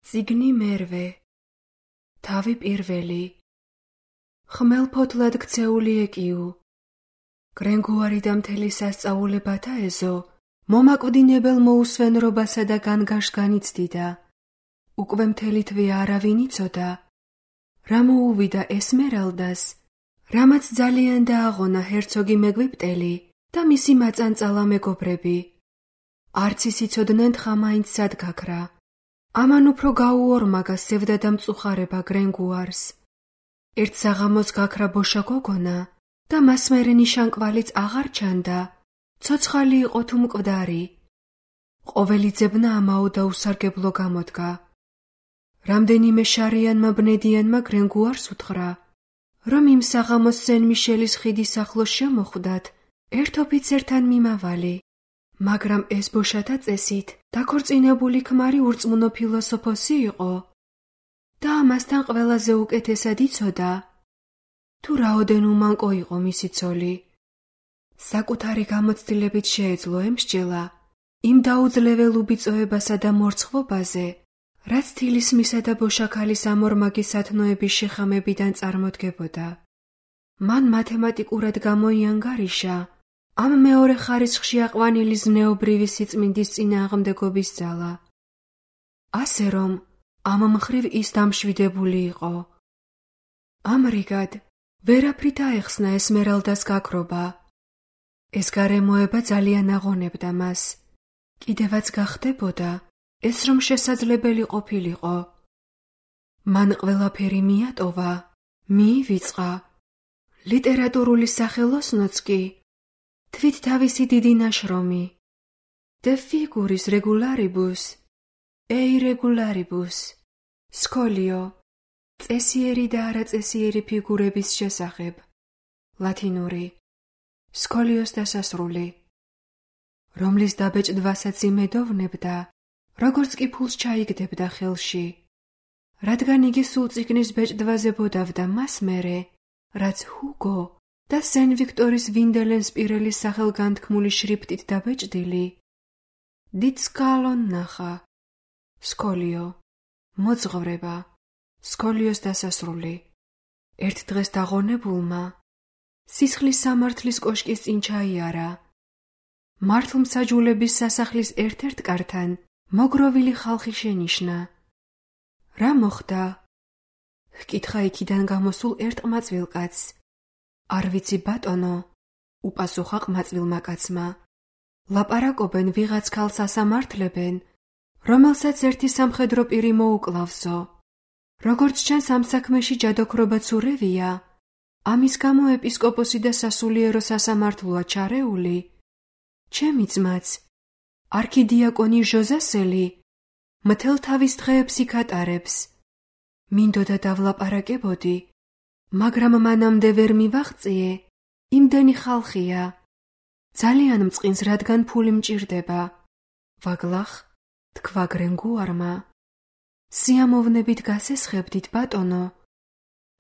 წიგნი მერვე, თავი პირველი, ხმელფოთლად ქცეული ეკიუ, გრენგუარი და მთელი სასწაულებათა ეზო, მომაკვდინებელ მოუსვენრობასა და განგაშს განიცდიდა. უკვე მთელი თვე არავინ იცოდა, რა მოუვიდა ესმერალდას, რამაც ძალიან დააღონა ჰერცოგი მეგვიპტელი და მისი მაწანწალა მეგობრები. არც ის იცოდნენ თხა მაინც სად გაქრა. ამან უფრო გაუორმაგა სევდა და მწუხარება გრენგუარს. ერთ საღამოს გაქრა ბოშა გოგონა და მას მერე ნიშანკვალიც აღარ ჩანდა, ცოცხალი იყო თუ მკვდარი. ყოველი ძებნა ამაო და უსარგებლო გამოდგა. რამდენიმე შარიანმა ბნედიანმა გრენგუარს უთხრა, რომ იმ საღამოს სენ-მიშელის ხიდის ახლოს შემოხვდათ ერთ ოფიცერთან მიმავალი, მაგრამ ეს ბოშათა წესით დაქორწინებული ქმარი ურწმუნო ფილოსოფოსი იყო და ამასთან ყველაზე უკეთესად იცოდა, თუ რაოდენ უმანკო იყო მისი ცოლი. საკუთარი გამოცდილებით შეეძლო ემსჯელა იმ დაუძლეվել უბიწოებასა და მორცხვობაზე, რაც თილისმისა და ბოშაქალის ამორმაგი სათნოების შეხამებიდან წარმოდგებოდა. მან მათემატიკურად გამოიანგარიშა ამ მეორე ხარისხში აყვანილი ზნეობრივი სიწმინდის წინააღმდეგობის ძალა. ასე რომ, ამ მხრივ ის დამშვიდებული იყო. ამრიგად, ვერაფრით აეხსნა ესმერალდას გაქრობა. ეს გარემოება ძალიან აღონებდა მას. კიდევაც გახდებოდა, ეს რომ შესაძლებელი ყოფილიყო. მან ყველაფერი მიატოვა, მიივიწყა. ლიტერატურული სახელოსნოც კი თვით თავისი დიდი ნაშრომი De figuris regularibus, irregularibus, სკოლიო, წესიერი და არაწესიერი ფიგურების შესახებ, ლათინური, სკოლიოს დასასრული, რომლის დაბეჭდვასაც იმედოვნებდა, როგორც კი ფულს ჩაიგდებდა ხელში, რადგან იგი სულ წიგნის ბეჭდვაზე ბოდავდა მას მერე, რაც ჰუგო და სენ-ვიქტორის ვინდელენსპირელის სახელგანთქმული შრიფტით დაბეჭდილი, დიცკალონ ნახა, სკოლიო, მოძღვრება, სკოლიოს დასასრული. ერთ დღეს დაღონებულმა სისხლის სამართლის კოშკის წინ ჩაიარა. მართლმსაჯულების სასახლის ერთ-ერთ კართან მოგროვილი ხალხი შენიშნა. რა მოხდა? ჰკითხა იქიდან გამოსულ ერთ ყმაწვილ კაცს. არ ვიცი ბატონო, უპასუხა ყმაწვილმა კაცმა. ლაპარაკობენ ვიღაც ქალს ასამართლებენ, რომელსაც ერთი სამხედრო პირი მოუკლავსო. როგორც ჩანს ამ საქმეში ჯადოქრობაც ურევია, ამის გამო ეპისკოპოსი და სასულიერო სასამართლოა ჩარეული. ჩემი ძმაც, არქიდიაკონი ჟოზასელი, მთელ თავის დღეებს იქ ატარებს. მინდოდა დავლაპარაკებოდი, მაგრამ მანამდე ვერ მივაღწიე, იმდენი ხალხია. ძალიან მწყინს, რადგან ფული მჭირდება. ვაგლახ, თქვა გრენგუარმა. სიამოვნებით გასესხებდით, ბატონო,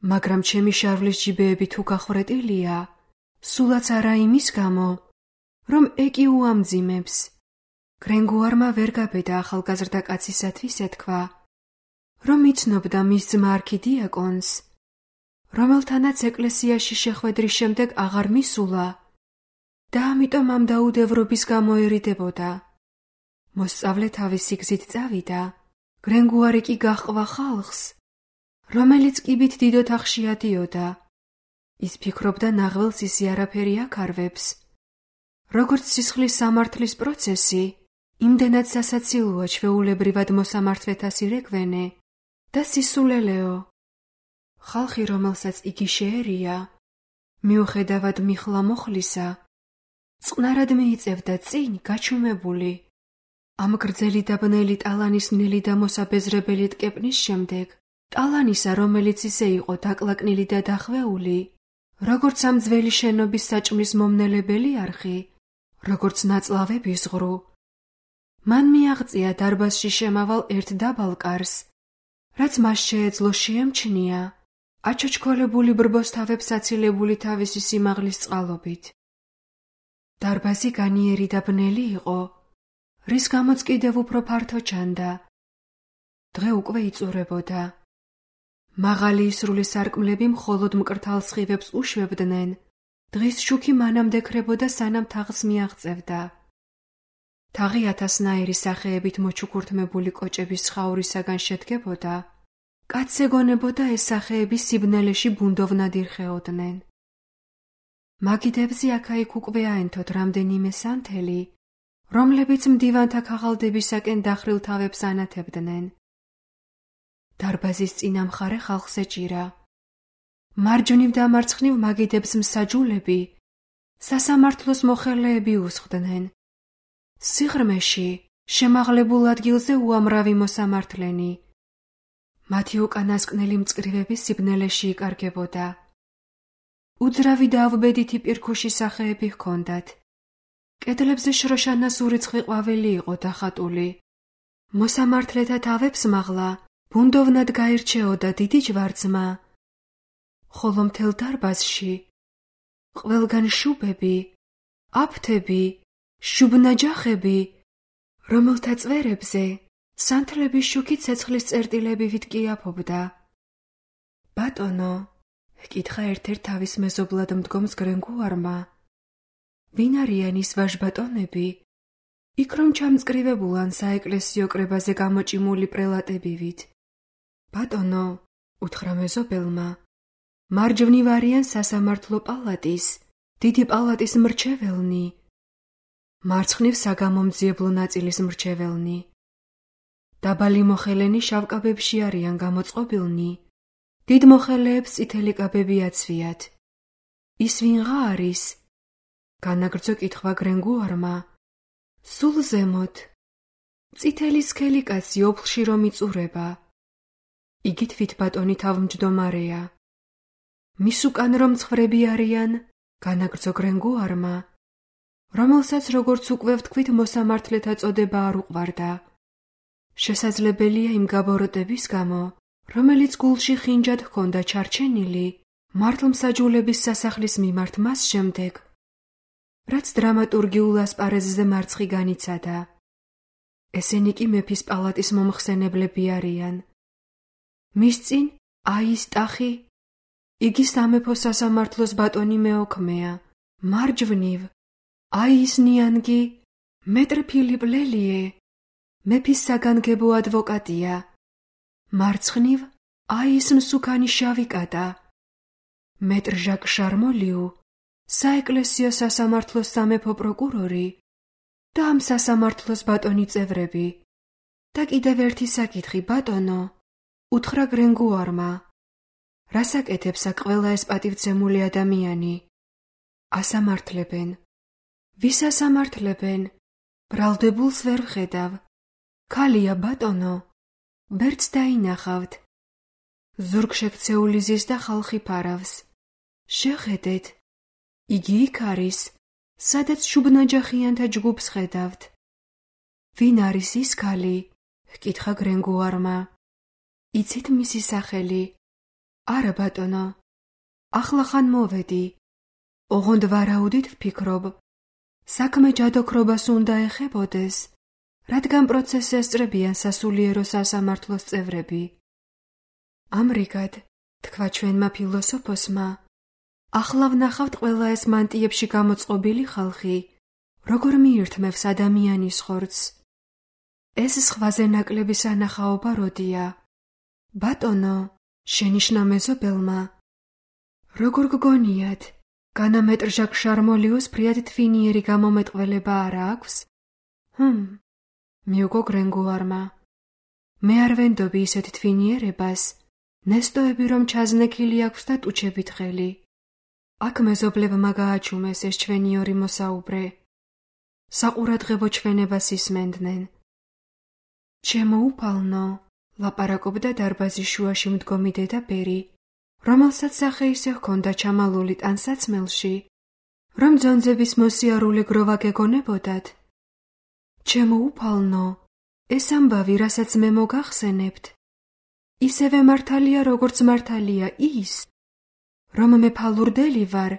მაგრამ ჩემი შარვლის ჯიბეები თუ გახვრეტილია, სულაც არა იმის გამო, რომ ეკიუ ამძიმებს. გრენგუარმა ვერ გაბედა ახალგაზრდა კაცისათვის ეთქვა, რომ იცნობდა მის ძმა არქიდიაკონს, რომელთანაც ეკლესიაში შეხვედრის შემდეგ აღარ მისულა და ამიტომ ამ დაუდევრობის გამო ერიდებოდა. მოსწავლე თავისი გზით წავიდა, გრენგუარი კი გაჰყვა ხალხს, რომელიც კიბით დიდ ოთახში ადიოდა. ის ფიქრობდა ნაღველს ისი არაფერი აკარვებს. როგორც სისხლის სამართლის პროცესი, იმდენად სასაცილოა ჩვეულებრივად მოსამართლეთა სირეკვენე და სისულელეო. ხალხი, რომელსაც იგი შეერია, მიუხედავად მიხლა მოხლისა, წყნარად მიიწევდა წინ გაჩუმებული. ამ გრძელი და ბნელი ტალანისნელი და მოსაბეზრებელი ტკეპნის შემდეგ, ტალანისა, რომელიც ისე იყო დაკლაკნილი და დახვეული, როგორც ამ ძველი შენობის საჭმლის მომნელებელი არხი, როგორც ნაწლავების ღრუ, მან მიაღწია დარბაზში შემავალ ერთ დაბალ კარს, რაც მას შეეძლო შეემჩნია აჩოჩქოლებული ბრბოსთავებს აცილებული თავისი სიმაღლის წყალობით. დარბაზი განიერი და ბნელი იყო, რის გამოც კიდევ უფრო ფართო ჩანდა. დღე უკვე იწურებოდა. მაღალი ისრული სარკმლები მხოლოდ მკრთალ სხივებს უშვებდნენ. დღის შუქი მანამდე ქრებოდა, სანამ თაღს მიაღწევდა. თაღი ათასნაირი სახეებით მოჩუქურთმებული კოჭების ცხაურისაგან შედგებოდა. კაცს ეგონებოდა ეს სახეები სიბნელეში ბუნდოვნად ირხეოდნენ. მაგიდებზე აქა-იქ უკვე აენთოთ რამდენიმე სანთელი, რომლებიც მდივანთა ქაღალდებისაკენ დახრილ თავებს ანათებდნენ. დარბაზის წინა მხარე ხალხს ეჭირა. მარჯვნივ და მარცხნივ მაგიდებს მსაჯულები, სასამართლოს მოხელეები უსხდნენ. სიღრმეში, შემაღლებულ ადგილზე უამრავი მოსამართლენი. მათი უკანასკნელი მწკრივები სიბნელეში იკარგებოდა. უძრავი და ავბედითი პირქუში სახეები ჰქონდათ. კედლებზე შროშანას ურიცხვი ყვავილი იყო დახატული. მოსამართლეთა თავებს მაღლა ბუნდოვნად გაირჩეოდა დიდი ჯვარცმა. ხოლო მთელ დარბაზში ყველგან შუბები, აფთები, შუბნაჯახები, რომელთა წვერებზე სანთლების შუქი ცეცხლის წერტილები ვიტკიაფობდა. ბატონო, ჰკითხა ერთ-ერთ თავის მეზობლად მდგომს გრენგუარმა. ვინ არიან ის ვაჟბატონები? იქ რომ ჩამწკრივებულან საეკლესიო კრებაზე გამოჭიმული პრელატებივით. ბატონო, უთხრა მეზობელმა, მარჯვნივ არიან სასამართლო პალატის, დიდი პალატის მრჩეველნი. მარცხნივ საგამომძიებლო ნაწილის მრჩეველნი. დაბალი მოხელენი შავ კაბებში არიან გამოწყობილნი. დიდ მოხელეებს წითელი კაბები აცვიათ. ის ვინღა არის? განაგრძო კითხვა გრენგუარმა. სულ ზემოთ. წითელი სქელი კაცი ოფლში რომ იწურება. იგი თვითბატონი თავმჯდომარეა. მის უკან რომ ცხრები არიან, განაგრძო გრენგუარმა, რომელსაც როგორც უკვე ვთქვით მოსამართლეთა წოდება არ უყვარდა. შესაძლებელია იმ გაბოროტების გამო, რომელიც გულში ხინჯად ჰქონდა ჩარჩენილი მართლმსაჯულების სასახლის მიმართ მას შემდეგ, რაც დრამატურგიულ ასპარეზზე მარცხი განიცადა. ესენი კი მეფის პალატის მომხსენებლები არიან. მის წინ აის ტახი, იგი სამეფო სასამართლოს ბატონი მეოქმეა. მარჯვნივ აის ნიანგი, მეტრ ფილიპ ლელიე, მეფის საგანგებო ადვოკატია. მარცხნივ აის მსუქანი შავი კატა, მეტრ ჟაკ შარმოლიუ, საეკლესიო სასამართლოს სამეფო პროკურორი და ამ სასამართლოს ბატონი წევრები. და კიდევ ერთი საკითხი, ბატონო, უთხრა გრენგუარმა. რას აკეთებს აქ ყველა ეს პატივცემული ადამიანი? ასამართლებენ. ვის ასამართლებენ? ბრალდებულს ვერ ვხედავ. ქალია, ბატონო. ბერც დაინახავთ. ზურგშექცეული ზის და ხალხი ფარავს. შეხედეთ. იგი იქ არის, სადაც შუბნაჯახიანთა ჯგუფს ხედავთ. ვინ არის ის ქალი? ჰკითხა გრენგუარმა. იცით მისი სახელი? არა, ბატონო. ახლახან მოვედი. ოღონდ ვარაუდით ვფიქრობ. საქმე ჯადოქრობას უნდა ეხებოდეს, რადგან პროცესს ესწრებიან სასულიერო სასამართლოს წევრები. ამრიგად, თქვა ჩვენმა ფილოსოფოსმა, ახლა ვნახავთ ყველა ეს მანტიებში გამოწყობილი ხალხი, როგორ მიირთმევს ადამიანის ხორცს. ეს სხვაზე ნაკლები სანახაობა როდია? ბატონო, შენიშნა მეზობელმა. როგორ გგონიათ, განა მეტრ ჟაკ შარმოლიუს ფრიად თვინიერი გამომეტყველება არა აქვს? მიუგო გრენგუარმა. მე არ ვენდობი ისეთ თვინიერებას, ნესტოები რომ ჩაზნექილი აქვს და ტუჩებით ხელი. აქ მეზობლებმა გააჩუმეს ეს ჩვენი ორი მოსაუბრე. საყურადღებო ჩვენებას ისმენდნენ. ჩემო უფალნო, ლაპარაკობდა დარბაზის შუაში მდგომი დედა ბერი, რომელსაც სახე ისე ჰქონდა ჩამალული ტანსაცმელში, რომ ძონძების მოსიარულე გროვა გეგონებოდათ. ჩემო უფალნო, ეს ამბავი, რასაც მე მოგახსენებთ, ისევე მართალია, როგორც მართალია ის, რომ მე ფალურდელი ვარ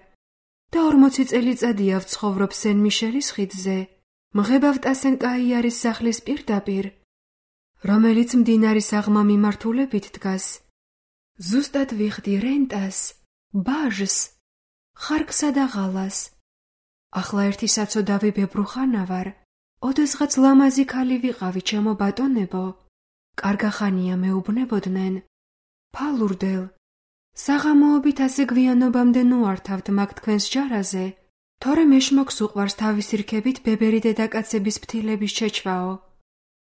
და 40 წელიწადია ვცხოვრობ სენ მიშელის ხიდზე, მღებავ ტასენ კაიარის სახლის პირდაპირ, რომელიც მდინარის აღმა მიმართულებით დგას. ზუსტად ვიხდი რენტას, ბაჟს, ხარკსა და ღალას. ახლა ერთი საცოდავი ბებრუხანა ვარ. ოდესღაც ლამაზი ქალი ვიყავი, ჩემო ბატონებო. კარგახანია მეუბნებოდნენ. ფალურდელ, საღამოობით ასე გვიანობამდე ნუართავთ მაგ თქვენს ჯარაზე, თორემ ეშმოქს უყვარს თავისი რქებით ბებერი დედაკაცების ფთილების შეჩვაო.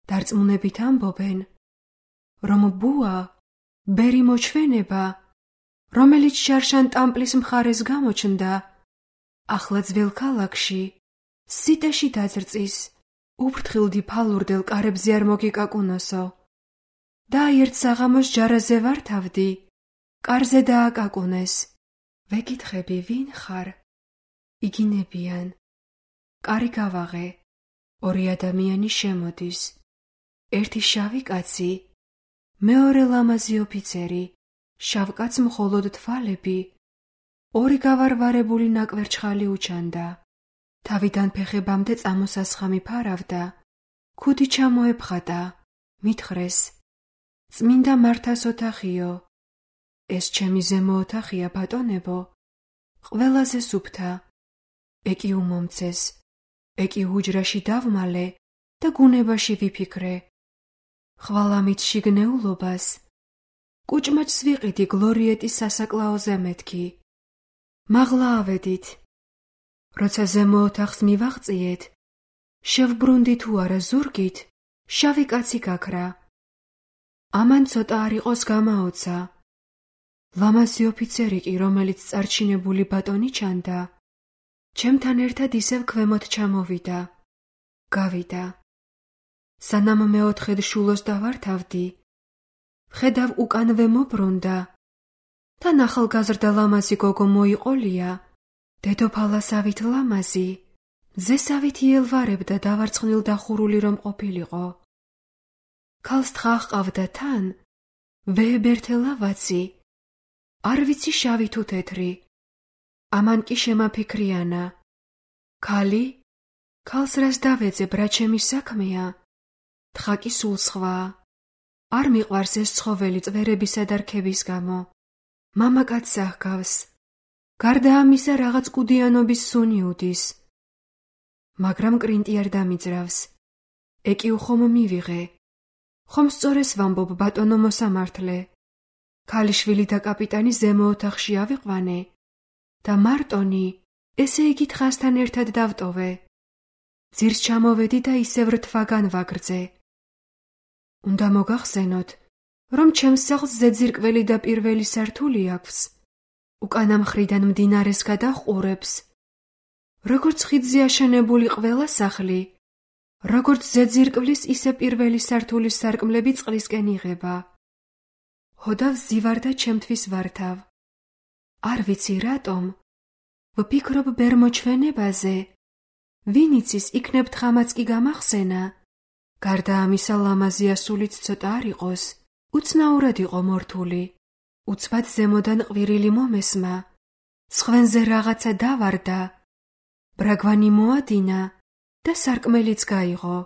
დარწმუნებით ამბობენ, რომ ბუა, ბერი მოჩვენება, რომელიც შარშან ტამპლის მხარეს გამოჩნდა, ახლა ძველ ქალაქში, სიტეში დაძრწის, უფრთხილდი ფალურდელ კარებზე არ მოგიკაკუნოსო. და ერთ საღამოს ჯარაზე ვართავდი, კარზე დააკაკუნეს. ვეკითხები, ვინ ხარ? იგინებიან. კარი გავაღე, ორი ადამიანი შემოდის. ერთი შავი კაცი, მეორე ლამაზი ოფიცერი, შავ კაცს მხოლოდ თვალები, ორი გავარვარებული ნაკვერჩხალი უჩანდა. თავიდან ფეხებამდე წამოსასხამი ფარავდა, ქუდი ჩამოეფხატა, მითხრეს, წმინდა მართას ოთახიო. ეს ჩემი ზემო ოთახია, ბატონებო, ყველაზე სუფთა. ეკი უმომცეს, ეკი უჯრაში დავმალე და გუნებაში ვიფიქრე. ხვალამით შიგნეულობას, კუჭმაჭს ვიყიდი გლორიეტის სასაკლაოზე მეთქი. მაღლა ავედით. როცა ზემო ოთახს მივაღწიეთ, შევბრუნდი თუ არა ზურგით, შავი კაცი გაქრა. ამან ცოტა არ იყოს გამაოცა. ლამაზი ოფიცერი კი, რომელიც წარჩინებული ბატონი ჩანდა, ჩემთან ერთად ისევ ქვემოთ ჩამოვიდა. გავიდა. სანამ მეოთხედ შულოს დავართავდი, ხედავ უკანვე მობრუნდა. თან ახალგაზრდა ლამაზი გოგო მოიყოლია, დედოფალასავით ლამაზი, ძესავით იელვარებდა დავარცხნილ დახურული რომ ყოფილიყო. ქალს თხა ჰყავდა თან, ვეებერთე ლავაცი, არ ვიცი შავი თუ თეთრი. ამან კი შემაფიქრიანა. ქალი? ქალს რას დავეძებ, რა ჩემი საქმეა? თხა კი სულ სხვაა. არ მიყვარს ეს ცხოველი წვერებისა და რქების გამო. მამაკაცს აჰგავს. გარდა ამისა რაღაც კუდიანობის სუნი უდის. მაგრამ კრინტი არ დამიძრავს. ეკი უხომ მივიღე. ხომ სწორეს ვამბობ, ბატონო მოსამართლე. ქალიშვილი და კაპიტანი ზემო ოთახში ავიყვანე და მარტონი, ესე იგი თხასთან ერთად დავტოვე. ძირს ჩამოვედი და ისევ რთვაგან ვაგრძე. უნდა მოგახსენოთ, რომ ჩემს სახლს ზედზირკველი და პირველი სართული აქვს. უკანა მხრიდან მდინარეს გადაჰყურებს. როგორც ხიდზე აშენებული ყველა სახლი, როგორც ზედზირკვლის, ისე პირველი სართულის სარკმლები წყლისკენ იღება. ჰოდავ ზივარ და ჩემთვის ვართავ. არ ვიცი რატომ, ვფიქრობ ბერ მოჩვენებაზე. ვინ იცის, იქნებ თხამაც კი გამახსენა. გარდა ამისა ლამაზი ასულიც ცოტა არ იყოს, უცნაურად იყო მორთული. უცბად ზემოდან ყვირილი მომესმა, სხვენზე რაღაცა დავარდა, ბრაგვანი მოადინა და სარკმელიც გაიღო.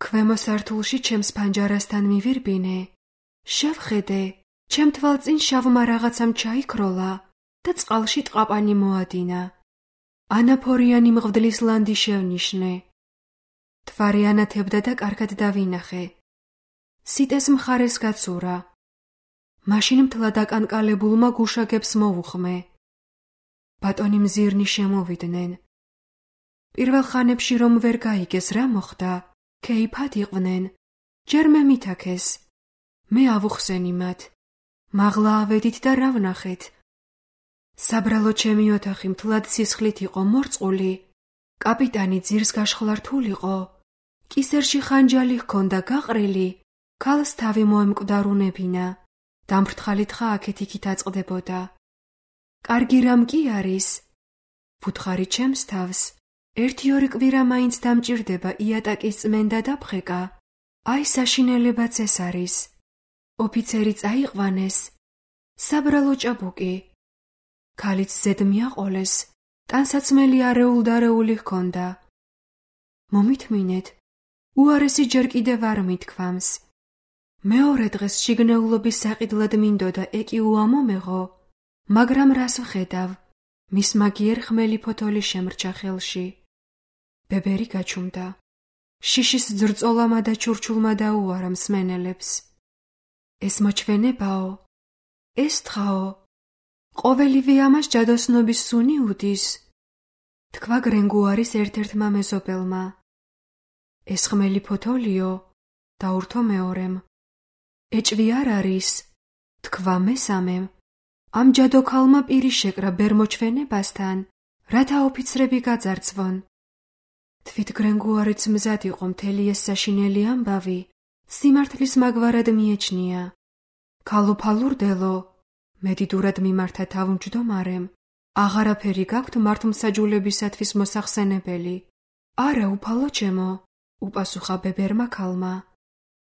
ქვემო სართულში ჩემს პანჯარასთან მივირბინე. შევხედე, ჩემ თვალწინ შავმა რაღაცამ ჩაიქროლა და წყალში ტყაპანი მოადინა. ანაფორიანი მღვდლის ლანდი შევნიშნე. თვარი ანათებდა და კარგად დავინახე. სიტეს მხარეს გაცურა. მაშინ მთლად აკანკალებულმა გუშაგებს მოვუხმე. ბატონი მზირნი შემოვიდნენ. პირველ ხანებში რომ ვერ გაიგეს რა მოხდა, ქეიფად იყვნენ. ჯერ მე მითაქეს. მე ავუხსენი მათ. მაღლა ავედით და რა ვნახეთ. საბრალო ჩემი ოთახი მთლად სისხლით იყო მორწყული. კაპიტანი ძირს გაშხლართულიყო. კისერში ხანჯალი ჰქონდა გაყრილი, ქალს თავი მოემკვდარუნებინა. დამფრთხალი თხა აქეთ-იქით აწყდებოდა. კარგი რამ კი არის? ვუთხარი ჩემს თავს. 1-2 კვირა მაინც დამჭირდება იატაკის წმენდა და ფხეკა. აი საშინელებაც ეს არის. ოფიცერი წაიყვანეს. საბრალო ჭაბუკი. ქალიც ზედ მიაყოლეს. ტანსაცმელი არეულ-დარეული ჰქონდა. მომითმინეთ, უარესი ჯერ კიდევ არ მithქვამს. მეორე დღეს შიგნეულობის საყიდლად მინდოდა ეკიუ ამომეღო, მაგრამ რას ვხედავ, მის მაგიერ ხმელი ფოთოლი შემრჩა ხელში. ბებერი გაჩუმდა. შიშის ძრწოლამა და ჩურჩულმა დაუარა მსმენელებს. ეს მოჩვენებაო, ეს თხაო, ყოველივე ამას ჯადოსნობის სუნი უდის, თქვა გრენგუარის ერთ-ერთმა მეზობელმა. ეს ხმელი ფოთოლიო, დაურთო მეორემ. ეჭვი არ არის, თქვა მესამემ. ამ ჯადოქალმა პირი შეკრა ბერმოჩვენებასთან, რათა ოფიცრები გაძარცვონ. თვით გრენგუარიც მზად იყო მთელი ეს საშინელი ამბავი, სიმართლის მაგვარად მიეჩნია. ქალო ფალურდელო, მედიდურად მიმართა თავმჯდომარემ, აღარაფერი გაქვთ მართლმსაჯულებისათვის მოსახსენებელი. არა, უფალო ჩემო, უპასუხა ბებერმა ქალმა.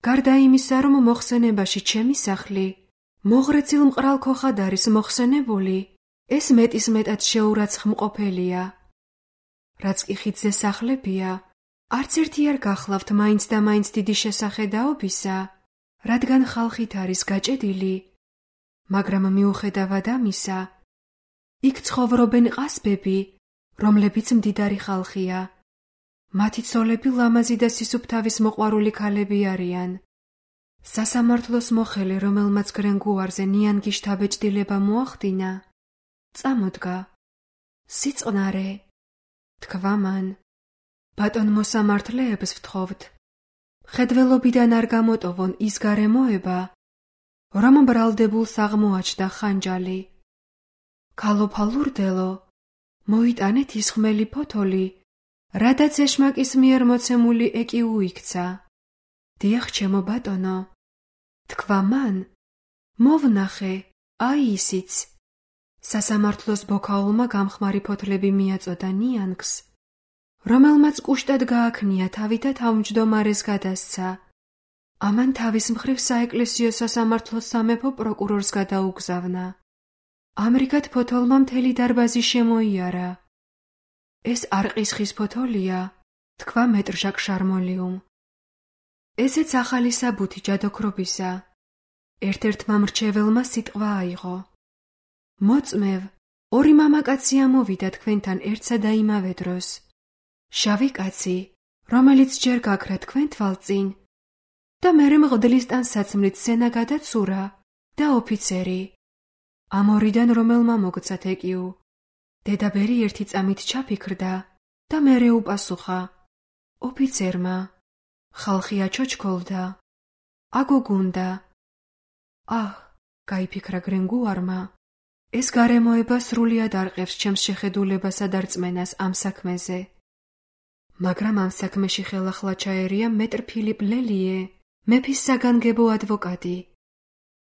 გარდა იმისა, რომ მოხსენებაში ჩემი სახლი, მოღრეცილ მყრალ ქოხად არის მოხსენებული, ეს მეტისმეტად შეურაცხმყოფელია. რაც კი ხიდზე სახლებია, არც ერთი არ გახლავთ მაინც და მაინც დიდი შესახედაობისა, რადგან ხალხით არის გაჭედილი, მაგრამ მიუხედავად ამისა, იქ ცხოვრობენ ყასბები, რომლებიც მდიდარი ხალხია. მათი ცოლები ლამაზი და სისუფთავის მოყვარული ქალები არიან. სასამართლოს მოხელე, რომელმაც გრენგუარზე ნიანგი შთაბეჭდილება მოახდინა, წამოდგა. სიწყნარე, თქვა მან. ბატონ მოსამართლეებს ვთხოვთ, ხედველობიდან არ გამოტოვონ ის გარემოება, რომ ბრალდებულს აღმოაჩნდა ხანჯალი. ქალო ფალურდელო, მოიტანეთ ის ხმელი ფოთოლი, რადაც ეშმაკის მიერ მოცემული ეკიუ იქცა. დიახ, ჩემო ბატონო, თქვა მან. მოვნახე, აი ისიც. სასამართლოს ბოქაულმა გამხმარი ფოთლები მიაწოდა ნიანგს, რომელმაც კუშტად გააქნია თავი და თავმჯდომარეს გადასცა. ამან თავის მხრივ საეკლესიო სასამართლოს სამეფო პროკურორს გადაუგზავნა. ამრიგად ფოთოლმა მთელი დარბაზი შემოიარა. ეს არყის ხის ფოთოლია, თქვა მეტრ ჟაკ შარმოლიუმ. ესეც ახალი საბუთი ჯადოქრობისა. ერთ-ერთმა მრჩეველმა სიტყვა აიღო. მოწმევ, ორი მამაკაცი ამოვიდა თქვენთან ერთსა და იმავე დროს. შავი კაცი, რომელიც ჯერ გაქრა თქვენ თვალწინ და მერე მღვდლის ტანსაცმლით სენა გადაცურა და ოფიცერი. ამ ორიდან რომელმა მოგცათ ეკიუ? დედაბერი ერთი წამით ჩაფიქრდა და მერე უპასუხა. ოფიცერმა. ხალხი აჩოჩქოლდა. აგოგუნდა. აჰ, გაიფიქრა გრენგუარმა. ეს გარემოება სრულიად არყევს ჩემს შეხედულებასა და რწმენას ამ საქმეზე. მაგრამ ამ საქმეში ხელახლა ჩაერია მეტრ ფილიპ ლელიე, მეფის საგანგებო ადვოკატი.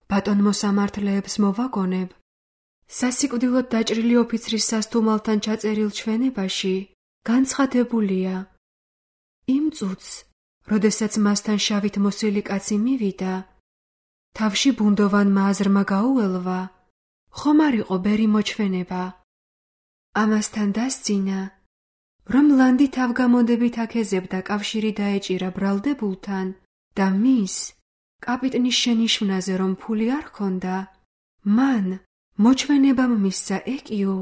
ბატონ მოსამართლეებს მოვაგონებ, სასიკვდილოდ დაჭრილი ოფიცრის სასტუმალთან ჩაწერილ ჩვენებაში განცხადებულია. იმ წუთს, როდესაც მასთან შავით მოსილი კაცი მივიდა, თავში ბუნდოვანმა აზრმა გაუელვა, ხომ არ იყო ბერი მოჩვენება. ამასთან დასძინა, რომ ლანდი თავგამოდებით აკეზებდა კავშირი დაეჭირა ბრალდებულთან და მის, კაპიტნის შენიშვნაზე რომ ფული არ ჰქონდა, მან მოჩვენებამ მისცა ეკიუ,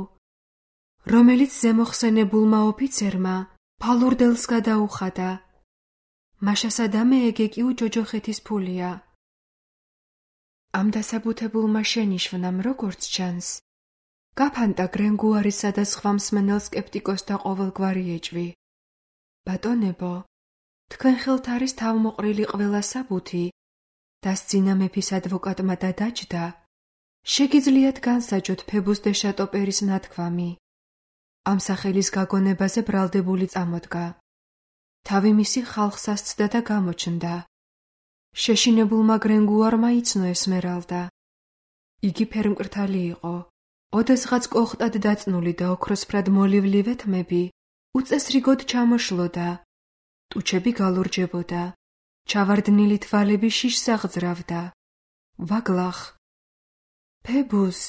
რომელიც ზემოხსენებულმა ოფიცერმა ფალურდელს გადაუხადა. მაშასადამე ეგ ეკიუ ჯოჯოხეთის ფულია. ამ დასაბუთებულმა შენიშვნამ როგორც ჩანს, გაფანტა გრენგუარისა და სხვა მსმენელ სკეპტიკოსთა ყოველგვარი ეჭვი. ბატონებო, თქვენ ხელთ არის თავმოყრილი ყველა საბუთი, დასძინა მეფის ადვოკატმა და დაჯდა. შეგიძლიათ განსაჯოთ ფებუს დე შატოპერის ნათქვამი. ამ სახელის გაგონებაზე ბრალდებული წამოდგა. თავი მისი ხალხს ასცდა და გამოჩნდა. შეშინებულმა გრენგუარმა იცნო ესმერალდა. იგი ფერმკრთალი იყო. ოდესღაც კოხტად დაწნული და ოქროსფრად მოლივლი ვეთმები უწესრიგოდ ჩამოშლოდა. ტუჩები გალურჯებოდა. ჩავარდნილი თვალები შიშს აღძრავდა. ვაგლახ. ფებუს,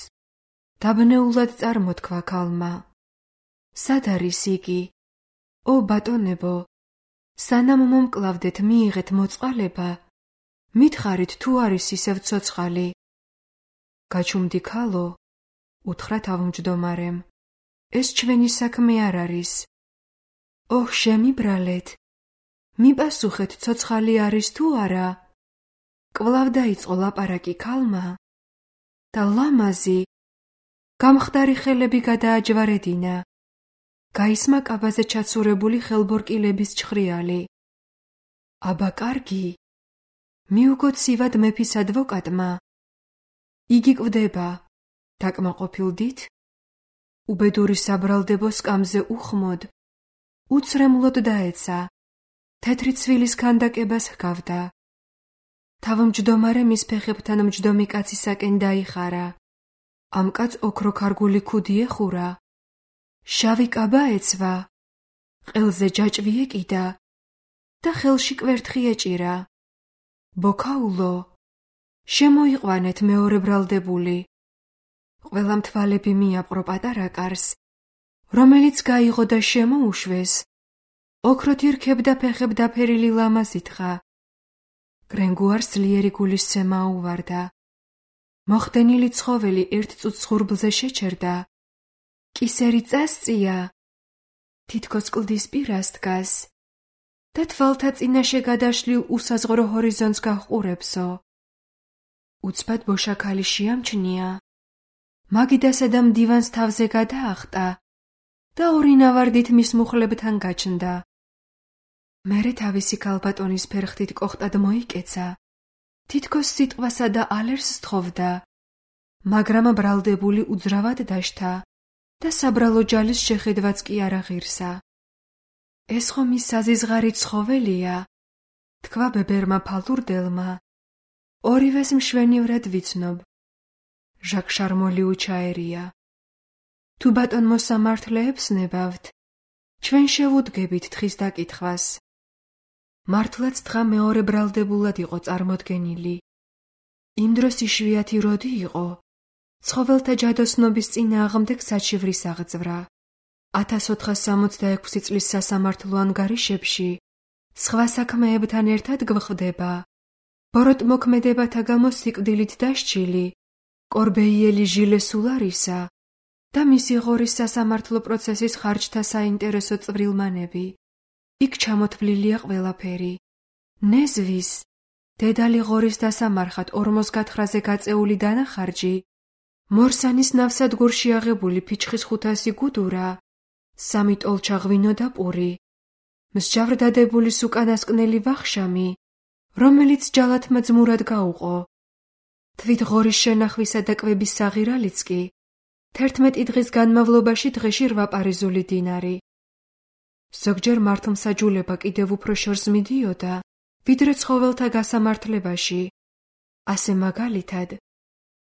დაბნეულად წარმოთქვა ქალმა. სად არის იგი? ო ბატონებო, სანამ მომკლავდეთ მიიღეთ მოწყალება, მითხარით თუ არის ისევ ცოცხალი. გაჩუმდი ქალო, უთხრა თავმჯდომარემ, ეს ჩვენი საქმე არ არის. ოჰ, შემიბრალეთ, მიპასუხეთ ცოცხალი არის თუ არა. კვლავ დაიწყო ლაპარაკი ქალმა და ლამაზი, გამხდარი ხელები გადააჯვარედინა. გაისმა კაბაზე ჩაცურებული ხელბორკილების ჩხრიალი. აბა კარგი, მიუგოცივად მეფის ადვოკატმა. იგი კვდება, დაკმაყოფილდით? უბედური საბრალდებო სკამზე უხმოდ, უცრემლოდ დაეცა, თეთრი ცვილის ქანდაკებას ჰგავდა. თავმჯდომარე მის ფეხებთან მჯდომი კაცისაკენ დაიხარა. ამ კაცს ოქროქარგული ქუდი ეხურა, შავი კაბა ეცვა, ყელზე ჯაჭვი ეკიდა და ხელში კვერთხი ეჭირა. ბოქაულო, შემოიყვანეთ მეორე ბრალდებული. ყველამ თვალები მიაპყრო პატარა კარს, რომელიც გაიღო და შემოუშვეს. ოქროთი რქებდა ფეხებ დაფერილი ლამაზი თხა. გრენგუარს ძლიერი გულისცემა აუვარდა. მოხდენილი ცხოველი ერთ წუთს ღურბლზე შეჩერდა. კისერი წასწია, თითქოს კლდის პირას დგას და თვალთა წინაშე გადაშლილ უსაზღვრო ჰორიზონტს გაჰყურებსო. უცბად ბოშაქალი შეამჩნია, მაგიდასა და მდივანს თავზე გადაახტა და ორი ნავარდით მის მუხლებთან გაჩნდა. მერე თავისი ქალბატონის ფერხთით კოხტად მოიკეცა, თითქოს სიტყვასა და ალერს სთხოვდა, მაგრამ ბრალდებული უძრავად დაშთა და საბრალო ჯალის შეხედვაც კი არ აღირსა. ეს ხომ ის საზიზღარი ცხოველია, თქვა ბებერმა ფალურდელმა. ორივეს მშვენივრად ვიცნობ. ჟაკ შარმოლი უჩაერია. თუ ბატონ მოსამართლეებს ნებავთ, ჩვენ შევუდგებით თხის დაკითხვას. მართლაც თხა მეორე ბრალდებულად იყო წარმოდგენილი. იმ დროს იშვიათი როდი იყო, ცხოველთა ჯადოსნობის წინააღმდეგ საჩივრის აღძვრა. 1466 წლის სასამართლო ანგარიშებში სხვა საქმეებთან ერთად გვხვდება ბოროტმოქმედებათა გამო სიკვდილით დასჯილი კორბეიელი ჟილე სულარისა და მისი ღორის სასამართლო პროცესის ხარჯთა საინტერესო წვრილმანები. იქ ჩამოთვლილია ყველაფერი. ნეზვის, დედალი ღორის დასამარხად 40 გათხრაზე გაწეული დანახარჯი, მორსანის ნავსადგურში აღებული ფიჩხის 500 გუდურა, 3 ტოლჩა ღვინო და პური, მსჯავრდადებულის უკანასკნელი ვახშამი, რომელიც ჯალათმა ძმურად გაუყო. თვით ღორის შენახვისა და კვების საღირალიც კი 11 დღის განმავლობაში დღეში 8 პარიზული დინარი. ზოგჯერ მართლმსაჯულება კიდევ უფრო შორს მიდიოდა, ვიდრე ცხოველთა გასამართლებაში. ასე მაგალითად,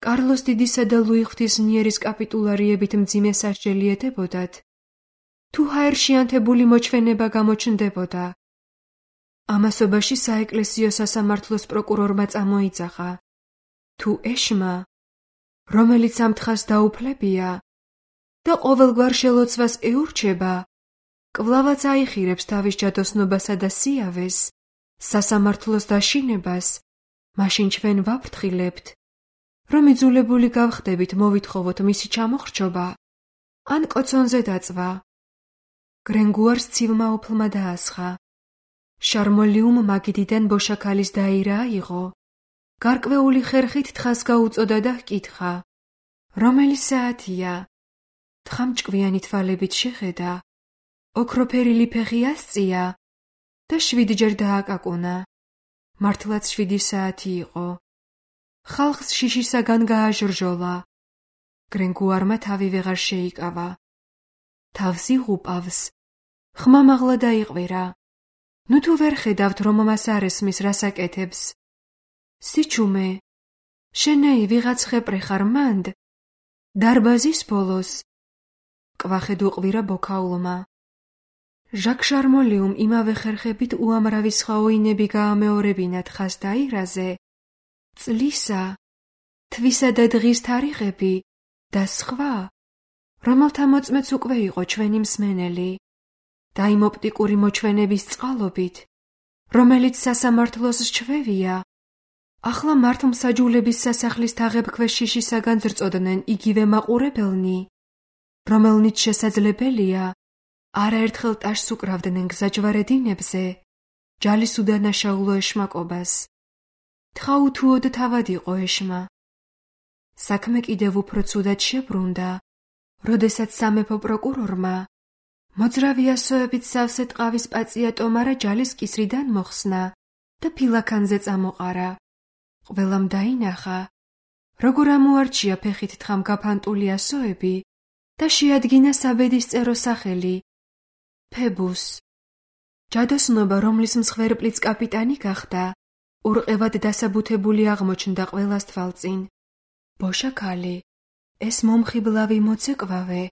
კარლოს დიდისა და ლუი ღვთისმიერის კაპიტულარიებით მძიმე სასჯელი ეტებოდათ, თუ ჰაერშიანთებული მოჩვენება გამოჩნდებოდა. ამასობაში საეკლესიო სასამართლოს პროკურორმა წამოიძახა, თუ ეშმა, რომელიც ამ თხას დაუფლებია და ყოველგვარ შელოცვას ეურჩება, კვლავაც აიხირებს თავის ჯადოსნობასა და სიავეს, სასამართლოს დაშინებას, მაშინ ჩვენ ვაფრთხილებთ, რომ იძულებული გავხდებით მოვითხოვოთ მისი ჩამოხრჩობა, ან კოცონზე დაწვა. გრენგუარს ცივმა ოფლმა დაასხა. შარმოლიუმ მაგიდიდან ბოშაქალის დაირა აიღო. გარკვეული ხერხით თხას გაუწოდა და ჰკითხა, რომელი საათია? თხა მჭკვიანი თვალებით შეხედა, ოქროფერილი ფეხი ასწია და 7-ჯერ დააკაკუნა. მართლაც 7 საათი იყო. ხალხს შიშისაგან გააჟრჟოლა. გრენგუარმა თავი ვეღარ შეიკავა. თავს იღუპავს. ხმა მაღლა დაიყვირა. ნუ თუ ვერ ხედავთ, რომ მას არ ესმის რასაკეთებს. სიჩუმე, შენეი ვიღაც ხეპრე ხარ მანდ? დარბაზის ბოლოს. კვახედ უყვირა ბოქაულმა. ჟაკ შარმოლიუმ იმავე ხერხებით უამრავი სხვა ოინები გაამეორებინა თხას დაირაზე, წლისა, თვისა და დღის თარიღები და სხვა, რომელთა მოწმეც უკვე იყო ჩვენი მსმენელი. და იმ ოპტიკური მოჩვენების წყალობით, რომელიც სასამართლოს ჩვევია, ახლა მართლმსაჯულების სასახლის თაღებქვეშ შიშისაგან ზრწოდნენ იგივე მაყურებელნი, რომელნიც შესაძლებელია არაერთხელ ტაშს უკრავდნენ გზაჯვარედინებზე, ჯალის უდანაშაულო ეშმაკობას. თხაუთუოდ თავად იყო ეშმა. საქმე კიდევ უფრო ცუდად შებრუნდა, როდესაც სამეფო პროკურორმა მოძრავი ასოებით სავსე ტყავის პაწია ტომარა ჯალის კისრიდან მოხსნა და ფილაქანზე წამოყარა. ყველამ დაინახა, როგორ ამოარჩია ფეხით თხამ გაფანტული ასოები და შეადგინა საბედისწერო სახელი ფებუს. ჯადოსნობა, რომლის მსხვერპლიც კაპიტანი გახდა, ურყევად დასაბუთებული აღმოჩნდა ყველას თვალწინ. ბოშა ქალი, ეს მომხიბლავი მოცეკვავე,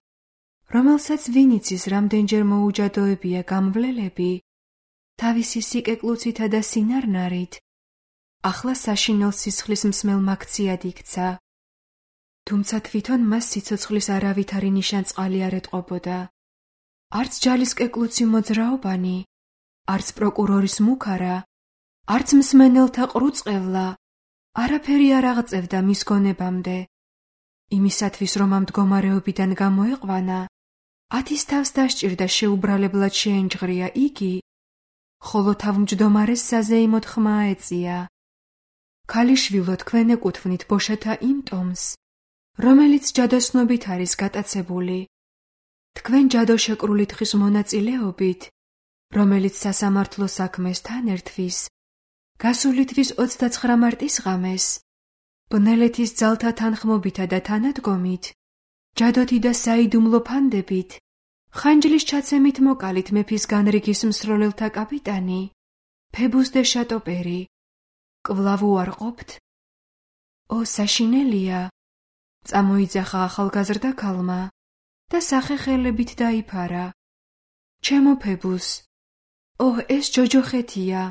რომელსაც ვინიცის რამდენჯერ მოუჯადოებია გამვლელები, თავისი სიკეკლუცითა და სინარნარით, ახლა საშინელ სისხლის მსმელ მაქციად იქცა. თუმცა თვითონ მას სიცოცხლის არავითარი ნიშანწყალი არ ეტყობოდა. არც ჯალის კეკლუცი მოძრაობანი, არც პროკურორის მუქარა, არც მსმენელთა ყრუწყევლა, არაფერი არ აღწევდა მის გონებამდე. იმისათვის, რომ ამ მდგომარეობიდან გამოეყვანა, 10 თავს დასჭირდა შეუბრალებლად შეენჯღრია იგი, ხოლო თავმჯდომარეს საზეიმოდ ხმა ეწია. ქალიშვილო, თქვენ ეკუთვნით ბოშათა იმ ტომს, რომელიც ჯადოსნობით არის გატაცებული. თქვენ ჯადოშეკრული თხის მონაწილეობით, რომელიც სასამართლო საქმეს თან ერთვის, გასული თვის 29 მარტის ღამეს, ბნელეთის ძალთა თანხმობითა და თანადგომით, ჯადოთი და საიდუმლო ფანდებით, ხანჯლის ჩაცემით მოკალით მეფის განრიგის მსროლელთა კაპიტანი, ფებუს დე შატოპერი. კვლავ უარყოფთ? ო, საშინელია, წამოიძახა ახალგაზრდა ქალმა და სახეხელებით დაიფარა. ჩემო ფებუს, ო, ეს ჯოჯოხეთია.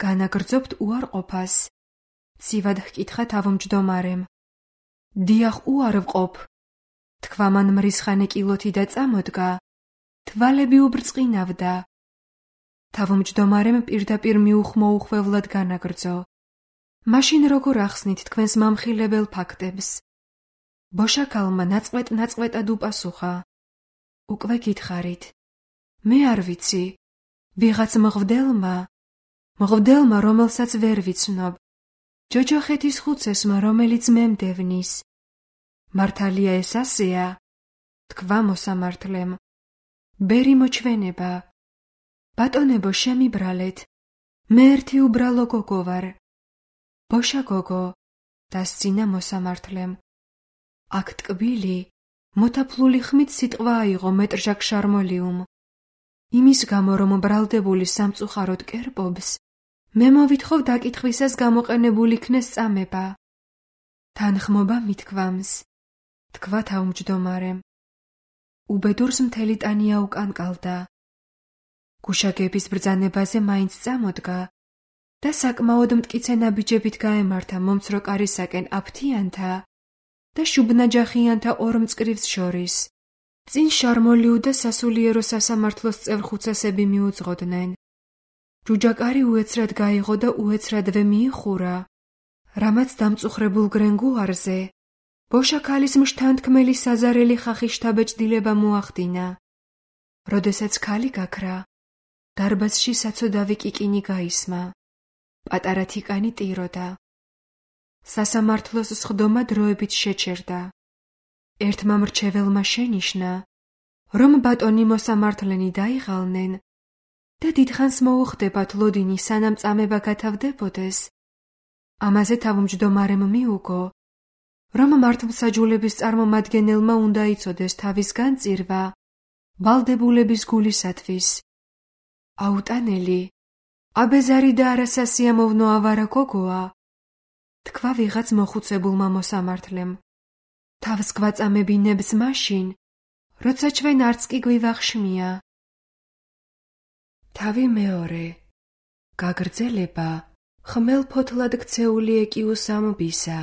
განაგრძობთ უარყოფას, ცივად ჰკითხა თავმჯდომარემ. დიახ, უარვყოფ, თქვა მან მრისხანე კილოთი და წამოდგა, თვალები უბრწყინავდა. თავმჯდომარემ პირდაპირ მიუხმოუხვევლად განაგრძო. მაშინ როგორ ახსნით თქვენს მამხილებელ ფაქტებს? ბოშა ქალმა ნაწყვეტ-ნაწყვეტად უპასუხა. უკვე გითხარით. მე არ ვიცი. ვიღაც მღვდელმა, რომელსაც ვერ ვიცნობ. ჯოჯოხეთის ხუცესმა, რომელიც მე მდევნის. მართალია ეს ასეა? თქვა მოსამართლემ. ბერი მოჩვენება. ბატონებო, შემიბრალეთ. მე ერთი უბრალო გოგო ვარ. ბოშა გოგო, დასცინა მოსამართლემ. აქ ტკბილი, მოთაფლული ხმით სიტყვა აიღო მეტრჟაკ შარმოლიუმ. იმის გამო, რომ ბრალდებული სამწუხაროდ კერპობს, მე მოვითხოვ დაკითხვისას გამოყენებული იქნეს წამება. თანხმობა მithქვამს, თქვა თავმჯდომარემ. უბედურს მთელი ტანია უკანკალდა. გუშაგების ბრძანებაზე მაინც წამოდგა და საკმაოდ მტკიცე ნაბიჯებით გაემართა მომცრო კარისაკენ აფთიანთა და შუბნაჯახიანთა ორ მწკრივს შორის. წინ შარმოლიუ და სასულიერო სასამართლოს წევრ ხუცესები მიუძღოდნენ. ჯუჯაკარი უეცრად გაიღო და უეცრადვე მიიხურა, რამაც დამწუხრებულ გრენგუარზე ბოშა ქალის მშთანთქმელი საზარელი ხახი შთაბეჭდილება მოახდინა. როდესაც ქალი გაქრა, დარბაზში საცოდავი კიკინი გაისმა. პატარა თიკანი ტიროდა. სასამართლოს სხდომა დროებით შეჩერდა. ერთმა მრჩეველმა შენიშნა, რომ ბატონი მოსამართლენი დაიღალნენ და დიდხანს მოუხდებათ ლოდინი სანამ წამება გათავდებოდეს. ამაზე თავმჯდომარემ მიუგო, რომ მართლმსაჯულების წარმომადგენელმა უნდა იცოდეს თავის განწირვა ვალდებულების გულისათვის. აუტანელი, აბეზარი და არასასიამოვნო ავარა გოგოა, თქვა ვიღაც მოხუცებულმა მოსამართლემ. თავს გვაწამებინებს მაშინ, როცა ჩვენ არც კი გვივახშმია. თავი მეორე. გაგრძელება ხმელფოთლად ქცეული ეკიუს ამბისა.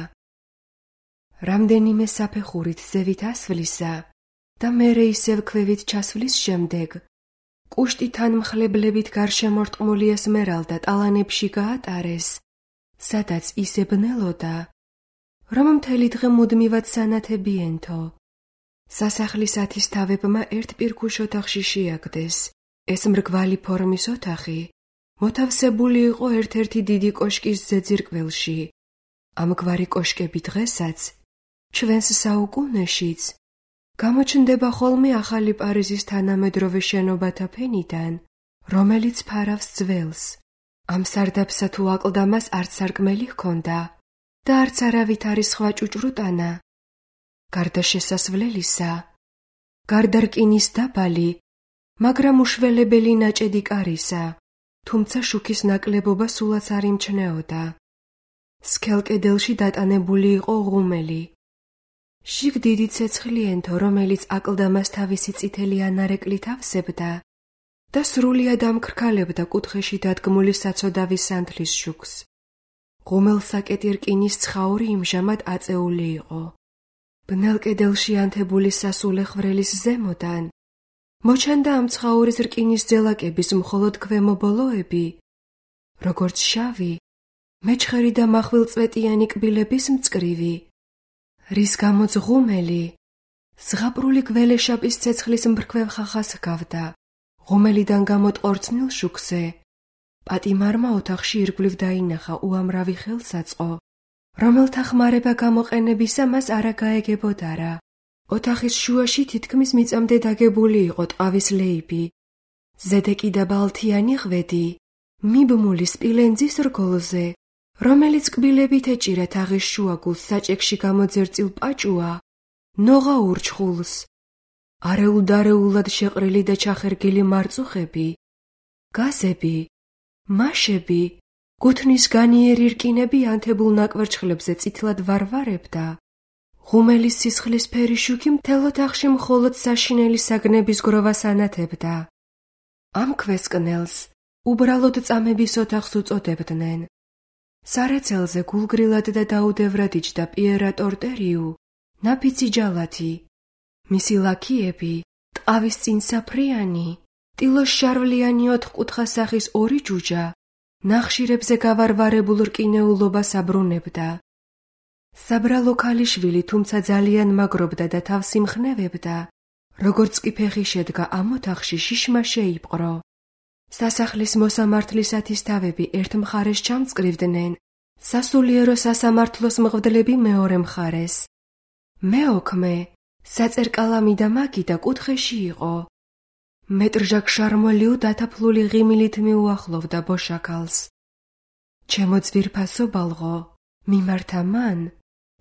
რამდენიმე საფეხურით ზევით ასვლისა და მერე ისევ ქვევით ჩასვლის შემდეგ კუშტითან მხლებლებით გარშემორტყმული ესმერალდა ტალანებში გაატარეს, სადაც ისე ბნელოდა, რომ მთელი დღე მუდმივად სანათებიენთო. სასახლის ათისთავებმა ერთ პირქუშ ოთახში შეაგდეს. ეს მრგვალი ფორმის ოთახი მოთავსებული იყო ერთ-ერთი დიდი კოშკის ზეძირკველში. ამგვარი კოშკები დღესაც, ჩვენს საუკუნეშიც, გამოჩნდება ხოლმე ახალი პარიზის თანამედროვე შენობათა ფენიდან, რომელიც ფარავს ძველს. ამ სარდაფსა თუ აკლდამას არც სარკმელი ჰქონდა და არც არავით არის სხვა ჭუჭრუტანა. გარდა შესასვლელისა, გარდა რკინის დაბალი, მაგრამ უშველებელი ნაჭედი კარისა, თუმცა შუქის ნაკლებობა სულაც არ იმჩნეოდა. სქელ კედელში დატანებული იყო ღუმელი. შიგ დიდი ცეცხლიენთო, რომელიც აკლდამას თავისი წითელი ანარეკლით ავსებდა და სრულიად ამქრქალებდა კუთხეში დადგმული საცოდავის სანთლის შუქს. ღუმელსაკეტი რკინის ცხაური იმჟამად აწეული იყო. ბნელ კედელში ანთებული სასულე ხვრელის ზემოდან მოჩანდა ამ ცხაურის რკინის ძელაკების მხოლოდ ქვემო ბოლოები, როგორც შავი, მეჩხერი და მახვილწვეტიანი კბილების მწკრივი, რის გამოც ღუმელი ზღაპრული გველეშაპის ცეცხლის მბრქვევ ხახას ჰგავდა. ღუმელიდან გამოტყორცნილ შუქზე პატიმარმა ოთახში ირგვლივ დაინახა უამრავი ხელსაწყო, რომელთა ხმარება გამოყენებისა მას არა გაეგებოდარა. ოთახის შუაში თითქმის მიწამდე დაგებული იყო ტყავის ლეიბი, ზედეკი და ბალთიანი ღვედი, მიბმული სპილენძის რგოლზე, რომელიც კბილებით ეჭირა თაღის შუაგულს საჭექში გამოძერწილ პაჭუა, ნოღა ურჩხულს, არეულ-დარეულად შეყრილი და ჩახერგილი მარწუხები, გაზები, მაშები, გუთნის განიერი რკინები ანთებულ ნაკვერჩხლებზე წითლად ვარვარებდა. ღუმელის სისხლისფერი შუქი მთელ ოთახში მხოლოდ საშინელი საგნების გროვას ანათებდა. ამ ქვესკნელს უბრალოდ წამების ოთახს უწოდებდნენ. სარეცელზე გულგრილად და დაუდევრად იჯდა პიერა ტორტერიუ, ნაფიცი ჯალათი. მისი ლაქიები, ტყავის წინ საფრიანი, ტილოს შარვლიანი ოთხკუთხა სახის ორი ჯუჯა, ნახშირებზე გავარვარებულ რკინეულობას აბრუნებდა. საბრალო ქალიშვილი თუმცა ძალიან მაგრობდა და თავს იმხნევებდა, როგორც კი ფეხი შედგა ამ ოთახში შიშმა შეიპყრო. სასახლის მოსამართლის ათისთავები ერთ მხარეს ჩამწკრივდნენ, სასულიერო სასამართლოს მღვდლები მეორე მხარეს. მეოქმე, საწერკალამი და მაგიდა კუთხეში იყო. მეტრჟაკ შარმოლიუ დათაფლული ღიმილით მიუახლოვდა ბოშაკალს. ჩემო ძვირფასო ბალღო, მიმართა მან,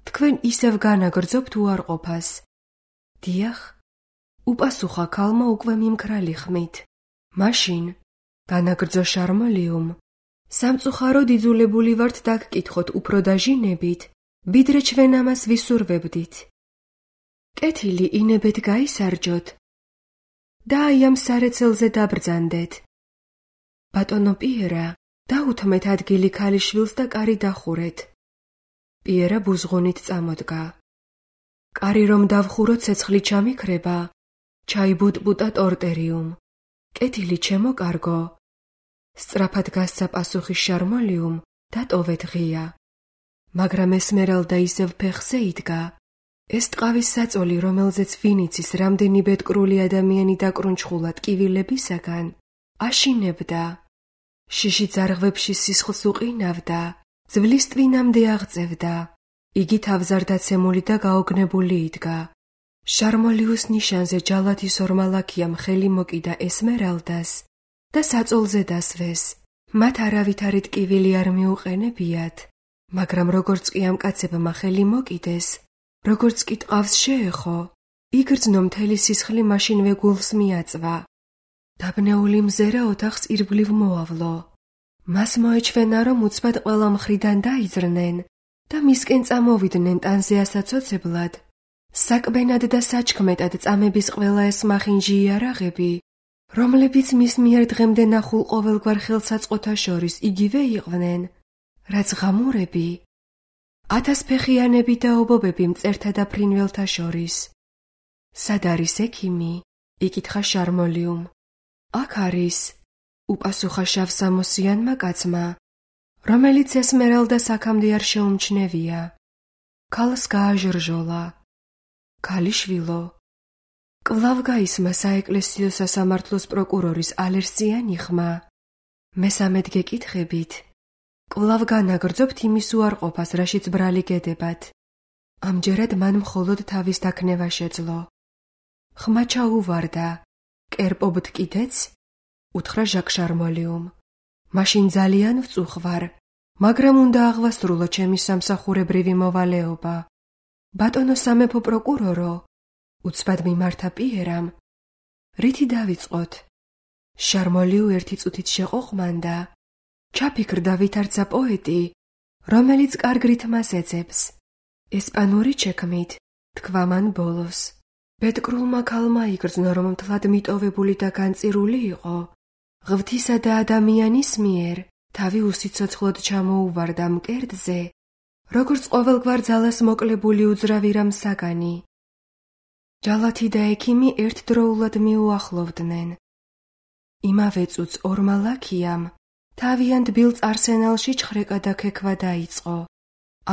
თქვენ ისევ განაგრძობთ უარყოფას. დიახ, უპასუხა ქალმა უკვე მიმქრალი ხმით. მაშინ, განაგრძო შარმოლიუმ, სამწუხაროდ იძულებული ვართ დაგკითხოთ უფრო დაჟინებით, ვიდრე ჩვენ ამას ვისურვებდით. კეთილი ინებეთ გაისარჯოთ და აი ამ სარეცელზე დაბრძანდეთ. ბატონო პიერა, დაუთმეთ ადგილი ქალიშვილს და კარი დახურეთ. პიერა ბუზღუნით წამოდგა. კარი რომ დავხურო ცეცხლი ჩამიქრება, ჩაიბუტბუტა ტორტერიუმ. კეთილი ჩემო კარგო. სწრაფად გასცა პასუხი შარმოლიუმ და ტოვეთ ღია. მაგრამ ესმერალდა ისევ ფეხზე იდგა. ეს ტყავის საწოლი, რომელზეც ვინიცის რამდენი ბედკრული ადამიანი დაკრუნჩხულა ტკივილებისაგან, აშინებდა. შიში ძარღვებში სისხლს უყინავდა, ძვლის ტვინამდე აღწევდა. იგი თავზარდაცემული და გაოგნებული იდგა. შარმოლიუს ნიშანზე ჯალათის ორმა ლაქიამ ხელი მოკიდა ესმერალდას და საწოლზე დასვეს. მათ არავითარი ტკივილი არ მიუყენებიათ, მაგრამ როგორც კი ამ კაცებმა ხელი მოკიდეს, როგორც კი ტყავს შეეხო, იგრძნო მთელი სისხლი მაშინვე გულს მიაწვა. დაბნეული მზერა ოთახს ირგვლივ მოავლო. მას მოეჩვენა, რომ უცბად ყველა მხრიდან დაიძრნენ და მისკენ წამოვიდნენ ტანზე ასაცოცებლად. საკბენად და საჩქმედად წამების ყველა ეს მახინჯი იარაღები, რომლებიც მის მიერ დღემდე ნახულ ყოველგვარ ხელსაწყოთა შორის იგივე იყვნენ, რაც ღამურები, ათასფეხიანები და ობობები მწერთა და ფრინველთა შორის. სად არის ექიმი? იკითხა შარმოლიუმ. აქ არის, უპასუხა შავსამოსიანმა კაცმა, რომელიც ესმერალდას აქამდე არ შეუმჩნევია. ქალს გააჟრჟოლა. ქალიშვილო, კვლავ გაისმა საეკლესიო სასამართლოს პროკურორის ალერსიანი ხმა. მესამედ გეკითხებით, კვლავ განაგრძობთ იმის უარყოფას, რაშიც ბრალი გედებათ. ამჯერად მან მხოლოდ თავის დაქნევა შეძლო. ხმა ჩაუვარდა, კერპობთ კიდეც? უთხრა ჟაკ შარმოლიუმ. მაშინ ძალიან ვწუხვარ, მაგრამ უნდა აღვასრულო ჩემი სამსახურებრივი მოვალეობა. ბატონო სამეფო პროკურორო, უცბად მიმართა პიერამ. რითი დავიწყოთ? შარმოლიუ ერთი წუთით შეყოყმანდა. ჩაფიქრდა ვითარცა პოეტი, რომელიც კარგ რითმას ეძებს. ესპანური ჩექმით, თქვა მან ბოლოს. ბედკრულმა ქალმა იგრძნო, რომ მთლად მიტოვებული და განწირული იყო. ღვთისა და ადამიანის მიერ თავი უსიცოცხლოდ ჩამოუვარდა მკერდზე, როგორც ყოველგვარ ძალას მოკლებული უძრავი რამ საგანი. ჯალათი და ექიმი ერთდროულად მიუახლოვდნენ. იმავე წუთს ორმა ლაქიამ თავიანთ ბილწ არსენალში ჩხრეკა და ქექვა დაიწყო.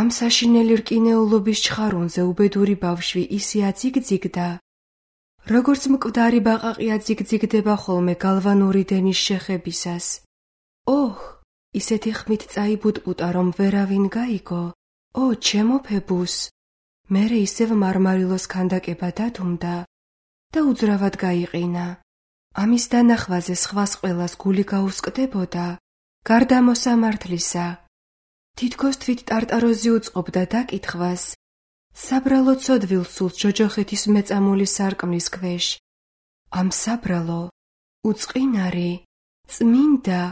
ამ საშინელი რკინეულობის ჩხარუნზე უბედური ბავშვი ისე აციგძიგდა, როგორც მკვდარი ბაყაყი აციგძიგდება ხოლმე გალვანური დენის შეხებისას. ოჰ, ისეთი ხმით წაიბუტბუტა, რომ ვერავინ გაიგო. ო, ჩემო ფებუს! მერე ისევ მარმარილოს ქანდაკება დათუნდა და უძრავად გაიყინა. ამის დანახვაზე სხვას ყველას გული გაუსკდებოდა, გარდა მოსამართლისა. თითქოს თვით ტარტაროზი უწყობდა დაკითხვას. საბრალო ცოდვილ სულს ჯოჯოხეთის მეწამული სარკმლის ქვეშ. ამ საბრალო, უწყინარი, წმინდა,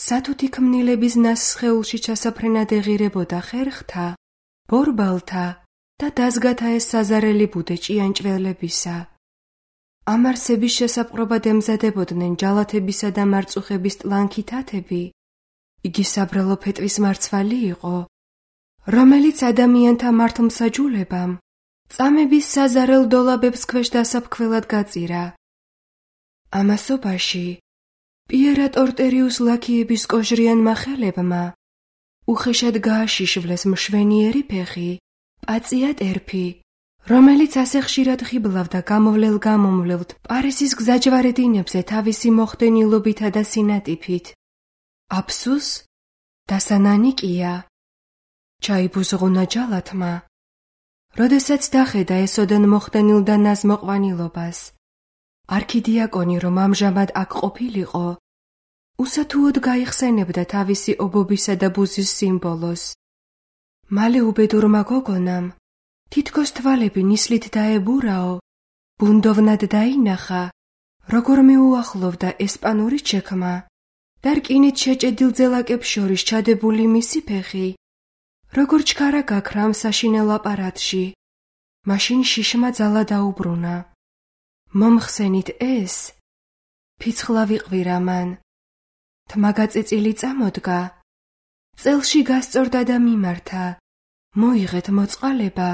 სათუთი ქმნილების ნასსხეულში ჩასაფრენად ეღირებოდა ხერხთა, ბორბალთა და დაზგათა ეს საზარელი ბუდე ჭიანჭველებისა. ამ არსების შესაპყრობად ემზადებოდნენ ჯალათებისა და მარწუხების ტლანქი თათები. იგი საბრალო ფეტვის მარცვალი იყო, რომელიც ადამიანთა მართლმსაჯულებამ წამების საზარელ დოლაბებს ქვეშ დასაფქველად გაწირა. ამასობაში პიერა ტორტერიუს ლაქიების კოჟრიანმა ხელებმა უხეშად გააშიშვლეს მშვენიერი ფეხი, პაწია ტერფი, რომელიც ასე ხშირად ხიბლავდა გამოვლელ-გამომვლელთ პარისის გზაჯვარედინებზე თავისი მოხდენილობითა და სინატიფით. აფსუს, დასანანიკია, ჩაიბუზღუნა ჯალათმა, როდესაც დახედა ესოდენ მოხდენილ და ნაზმოყვანილობას. არქიდიაკონი, რომ ამჟამად აქ ყოფილიყო, უსათუოდ გაიხსენებდა თავისი ობობისა და ბუზის სიმბოლოს. მალე უბედურმა გოგონამ თითქოს თვალები ნისლით დაებურაო, ბუნდოვნად დაინახა, როგორ მიუახლოვდა ესპანური ჩექმა და რკინით შეჭედილ ძელაკებს შორის ჩადებული მისი ფეხი, როგორ ჩქარა გაქრა ამ საშინელ აპარატში. მაშინ შიშმა ძალა დაუბრუნა. მომხსენით ეს, ფიცხლავი ყვირა მან. თმაგაწიწილი წამოდგა, წელში გასწორდა და მიმართა. მოიღეთ მოწყალება,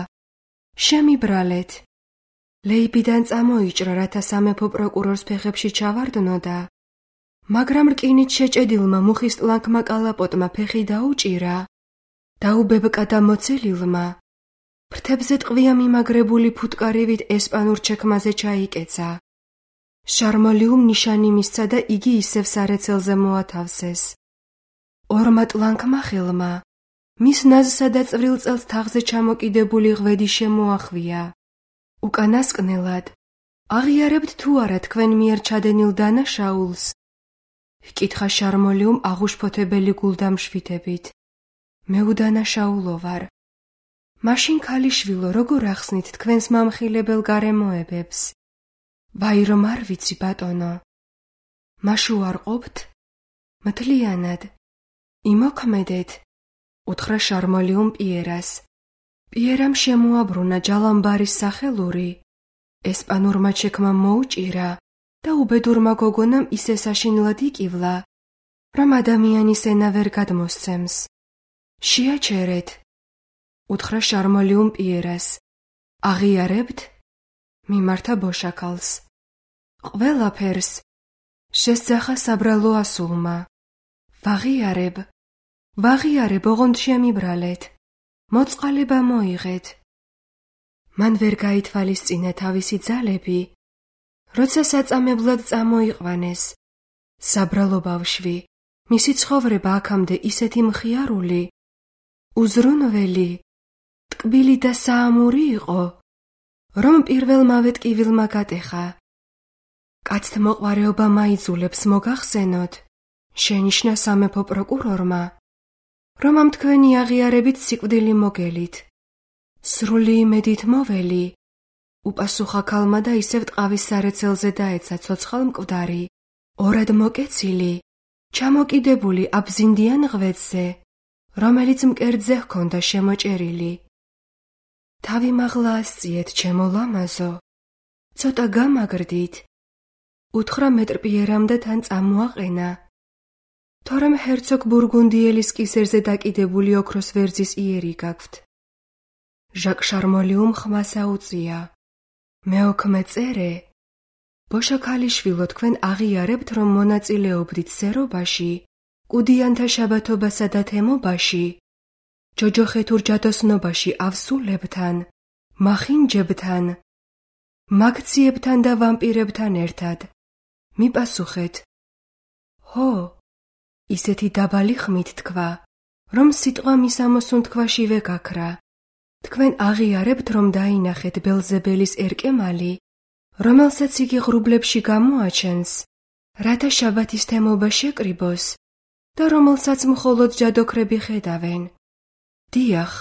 შემიბრალეთ. ლეიბიდან წამოიჭრა, რათა სამეფო პროკურორს ფეხებში ჩავარდნოდა, მაგრამ რკინით შეჭედილმა მუხის ტლანქმა კალაპოტმა ფეხი დაუჭირა. დაუბებკა და მოცელილმა ფრთებზე ტყვია მიმაგრებული ფუტკარივით ესპანურ ჩექმაზე ჩაიკეცა. შარმოლიუმ ნიშანი მისცა და იგი ისევ სარეცელზე მოათავსეს. ორმა ტლანქმა ხელმა მის ნაზსა და წვრილ წელს თაღზე ჩამოკიდებული ღვედი შემოახვია. უკანასკნელად აღიარებთ თუ არა თქვენ მიერ ჩადენილ დანაშაულს? ჰკითხა შარმოლიუმ აღუშფოთებელი გულდამშვიდებით. მე უდანაშაულო ვარ. მაშინ ქალიშვილო, როგორ ახსნით თქვენს მამხილებელ გარემოებებს? ვაი, რომ არ ვიცი, ბატონო. მაშ უარყოფთ? მთლიანად. იმოქმედეთ, უთხრა შარმოლიუმ პიერას. პიერამ შემოაბრუნა ჯალამბარის სახელური. ესპანურმა ჩექმა მოუჭირა და უბედურმა გოგონამ ისე საშინლად იკივლა, რომ ადამიანის ენა ვერ გადმოსცემს. შეაჩერეთ, უთხრა შარმოლიუმ პიერას. აღიარებთ? მიმართა ბოშაკალს. ყველაფერს, შესძახა საბრალო ასულმა. ვაღიარებ, ოღონდ შემიბრალეთ. მოწყალება მოიღეთ. მან ვერ გაითვალისწინა თავისი ძალები, როცა საწამებლად წამოიყვანეს. საბრალო ბავშვი, მისი ცხოვრება აქამდე ისეთი მხიარული, უზრუნველი, ტკბილი და საამური იყო, რომ პირველმავე ტკივილმა გატეხა. კაცთმოყვარეობა მაიძულებს მოგახსენოთ, შენიშნა სამეფო პროკურორმა, რომ ამ თქვენი აღიარებით სიკვდილი მოგელით. სრული იმედით მოველი, უპასუხა ქალმა და ისევ ტყავის სარეცელზე დაეცა ცოცხალ მკვდარი, ორად მოკეცილი, ჩამოკიდებული აბზინდიან ღვეძზე, რომელიც მკერდზე ჰქონდა შემოჭერილი. თავი მაღლა ასწიეთ, ჩემო ლამაზო, ცოტა გამაგრდით, უთხრა მეტრპიერამ და თან წამოაყენა. თორემ ჰერცოგ ბურგუნდიელის კისერზე დაკიდებული ოქროს ვერძის იერი გაქვთ. ჟაკ შარმოლიუმ ხმას აუწია. მეოქმე წერე, ბოშა ქალიშვილო, თქვენ აღიარებთ, რომ მონაწილეობდით სერობაში, კუდიანთა შაბათობასა და თემობაში, ჯოჯოხეთურ ჯადოსნობაში ავსულებთან, მახინჯებთან, მაგციებთან და ვამპირებთან ერთად. მიპასუხეთ. ჰო, ისეთი დაბალი ხმით თქვა, რომ სიტყვა მის ამოსუნთქვაშივე გაქრა. თქვენ აღიარებთ, რომ დაინახეთ ბელზებელის ერკემალი, რომელსაც იგი ღრუბლებში გამოაჩენს, რათა შაბათის თემობა შეკრიბოს და რომელსაც მხოლოდ ჯადოქრები ხედავენ. დიახ,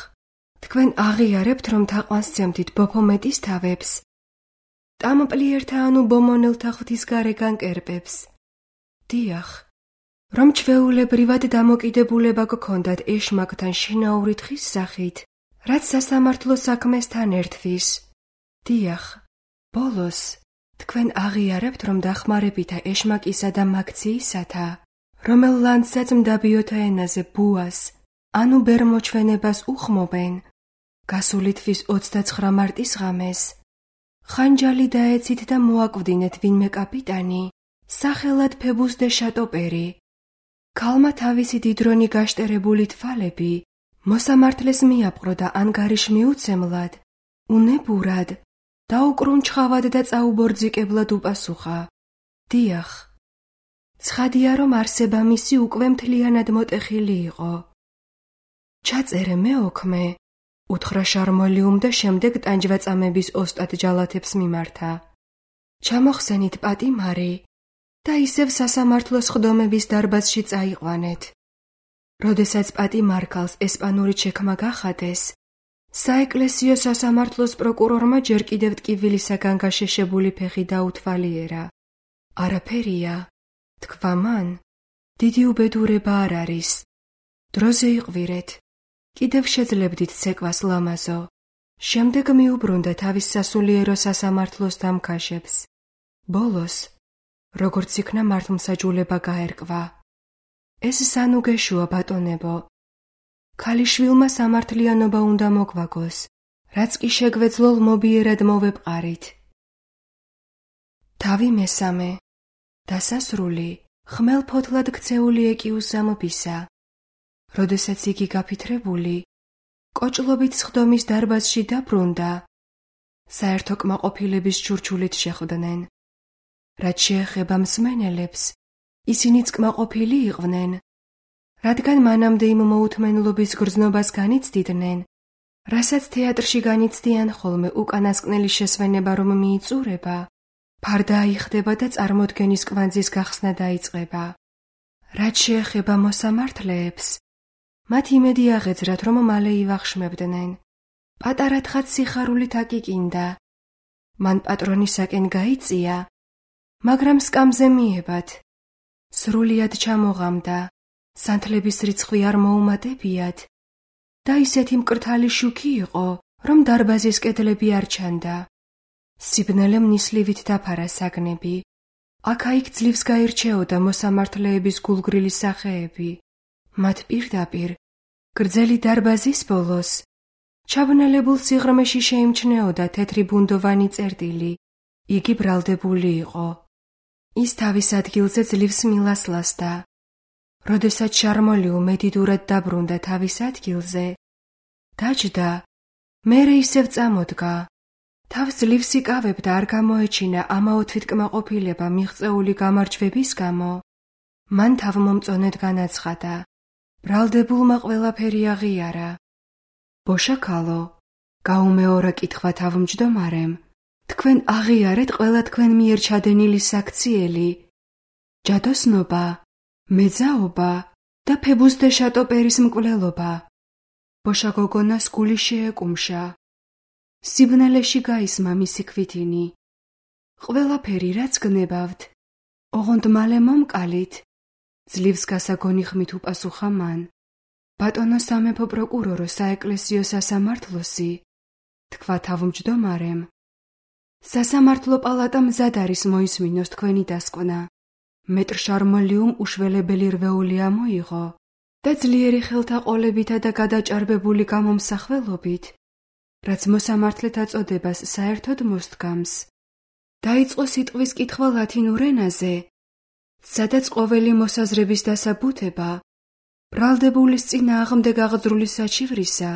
თქვენ აღიარებთ, რომ თაყვანსცემდით ბოფომეტის თავებს, ტამპლიერთა ანუ ბომონელთა ღვთისგარეგან კერპებს. დიახ, რომ ჩვეულებრივად დამოკიდებულება გქონდათ ეშმაკთან შინაური თხის სახით, რაც სასამართლო საქმესთან ერთვის. დიახ, ბოლოს, თქვენ აღიარებთ, რომ დახმარებითა ეშმაკისა და მაქციისათა, რომელ ლანდსაც მდაბიოთა ენაზე ბუას, ანუ ბერმოჩვენებას უხმობენ, გასული თვის 29 მარტის ღამეს, ხანჯალი დაეცით და მოაკვდინეთ ვინმე კაპიტანი, სახელად ფებუს დე შატოპერი. ქალმა თავისი დიდრონი გაშტერებული თვალები, მოსამართლეს მიაპყრო და ანგარიშ მიუცემლად, უნებურად, დაუკრუნჩხავად და წაუბორძიკებლად უპასუხა. დიახ, ცხადია, რომ არსება მისი უკვე მთლიანად მოტეხილი იყო. ჩაწერე მეოქმე, უთხრა შარმოლიუმ და შემდეგ ტანჯვაწამების ოსტატ ჯალათებს მიმართა. ჩამოხსენით პატიმარი და ისევ სასამართლოს ხდომების დარბაზში წაიყვანეთ. როდესაც პატიმარქალს ესპანური ჩექმა გახადეს, საეკლესიო სასამართლოს პროკურორმა ჯერ კიდევ ტკივილისაგან გაშეშებული ფეხი დაუთვალიერა. არაფერია, თქვა მან, დიდი უბედურება არ არის. დროზე იყვირეთ. კიდევ შეძლებდით ცეკვას ლამაზო. შემდეგ მიუბრუნდა თავის სასულიერო სასამართლოს დამქაშებს. ბოლოს, როგორც იქნა მართლმსაჯულება გაერკვა. ეს სანუგეშუა ბატონებო. ქალიშვილმა სამართლიანობა უნდა მოგვაგოს, რაც კი შეგვეძლო ლმობიერად მოვეპყარით. თავი მესამე. დასასრული, ხმელფოთლად ქცეული ეკიუსამობისა. როდესაც იგი გაფითრებული, კოჭლობით სხდომის დარბაზში დაბრუნდა, საერთო კმაყოფილების ჩურჩულით შეხვდნენ. რაც შეეხება მსმენელებს, ისინიც კმაყოფილი იყვნენ, რადგან მანამდე იმ მოუთმენლობის გრძნობას განიცდიდნენ, რასაც თეატრში განიცდიან ხოლმე უკანასკნელი შესვენება რომ მიიწურება, ფარდა აიხდება და წარმოდგენის კვანძის გახსნა დაიწყება. რაც შეეხება მოსამართლეებს, მათ იმედი აღეძრათ, რომ მალე ივახშმებდნენ. პატარა თხაც სიხარულით აკიკინდა. მან პატრონისაკენ გაიწია, მაგრამ სკამზე მიებათ. სრულიად ჩამოღამდა, სანთლების რიცხვი არ მოუმატებიათ და ისეთი მკრთალი შუქი იყო, რომ დარბაზის კედლები არ ჩანდა. სიბნელემ ნისლივით დაფარა საგნები. აქა-იქ ძლივს გაირჩეოდა მოსამართლეების გულგრილი სახეები. მათ პირდაპირ, გრძელი დარბაზის ბოლოს, ჩაბნელებულ სიღრმეში შეიმჩნეოდა თეთრი ბუნდოვანი წერტილი. იგი ბრალდებული იყო. ის თავის ადგილზე ძლივს მილას ლასდა. როდესაც შარმოლიუ მედიდურად დაბრუნდა თავის ადგილზე, დაჯდა, მერე ისევ წამოდგა. თავს ძლივს იკავებდა არ გამოეჩინა ამაო თვითკმაყოფილება მიღწეული გამარჯვების გამო. მან თავმომწონედ განაცხადა. ბრალდებულმა ყველაფერი აღიარა. ბოშაქალო, გაუმეორა კითხვა თავმჯდომარემ. თქვენ აღიარეთ ყველა თქვენ მიერ ჩადენილი საქციელი, ჯადოსნობა, მეძაობა და ფებუსდე შატოპერის მკვლელობა. ბოშა გოგონას გული შეეკუმშა. სიბნელეში გაისმა მისი ქვითინი. ყველაფერი რაც გნებავთ, ოღონდ მალე მომკალით, ძლივს გასაგონი ხმით უპასუხა მან. ბატონო სამეფო პროკურორო საეკლესიო სასამართლოსი, თქვა თავმჯდომარემ. სასამართლო პალატა მზად არის მოისმინოს თქვენი დასკვნა. მეტრ შარმოლიუმ უშველებელი რვეული ამოიღო და ძლიერი ხელთაყოლებითა და გადაჭარბებული გამომსახველობით, რაც მოსამართლეთა წოდებას საერთოდ მოსდგამს, დაიწყო სიტყვის კითხვა ლათინურ ენაზე, სადაც ყოველი მოსაზრების დასაბუთება ბრალდებულის წინააღმდეგ აღძრული საჩივრისა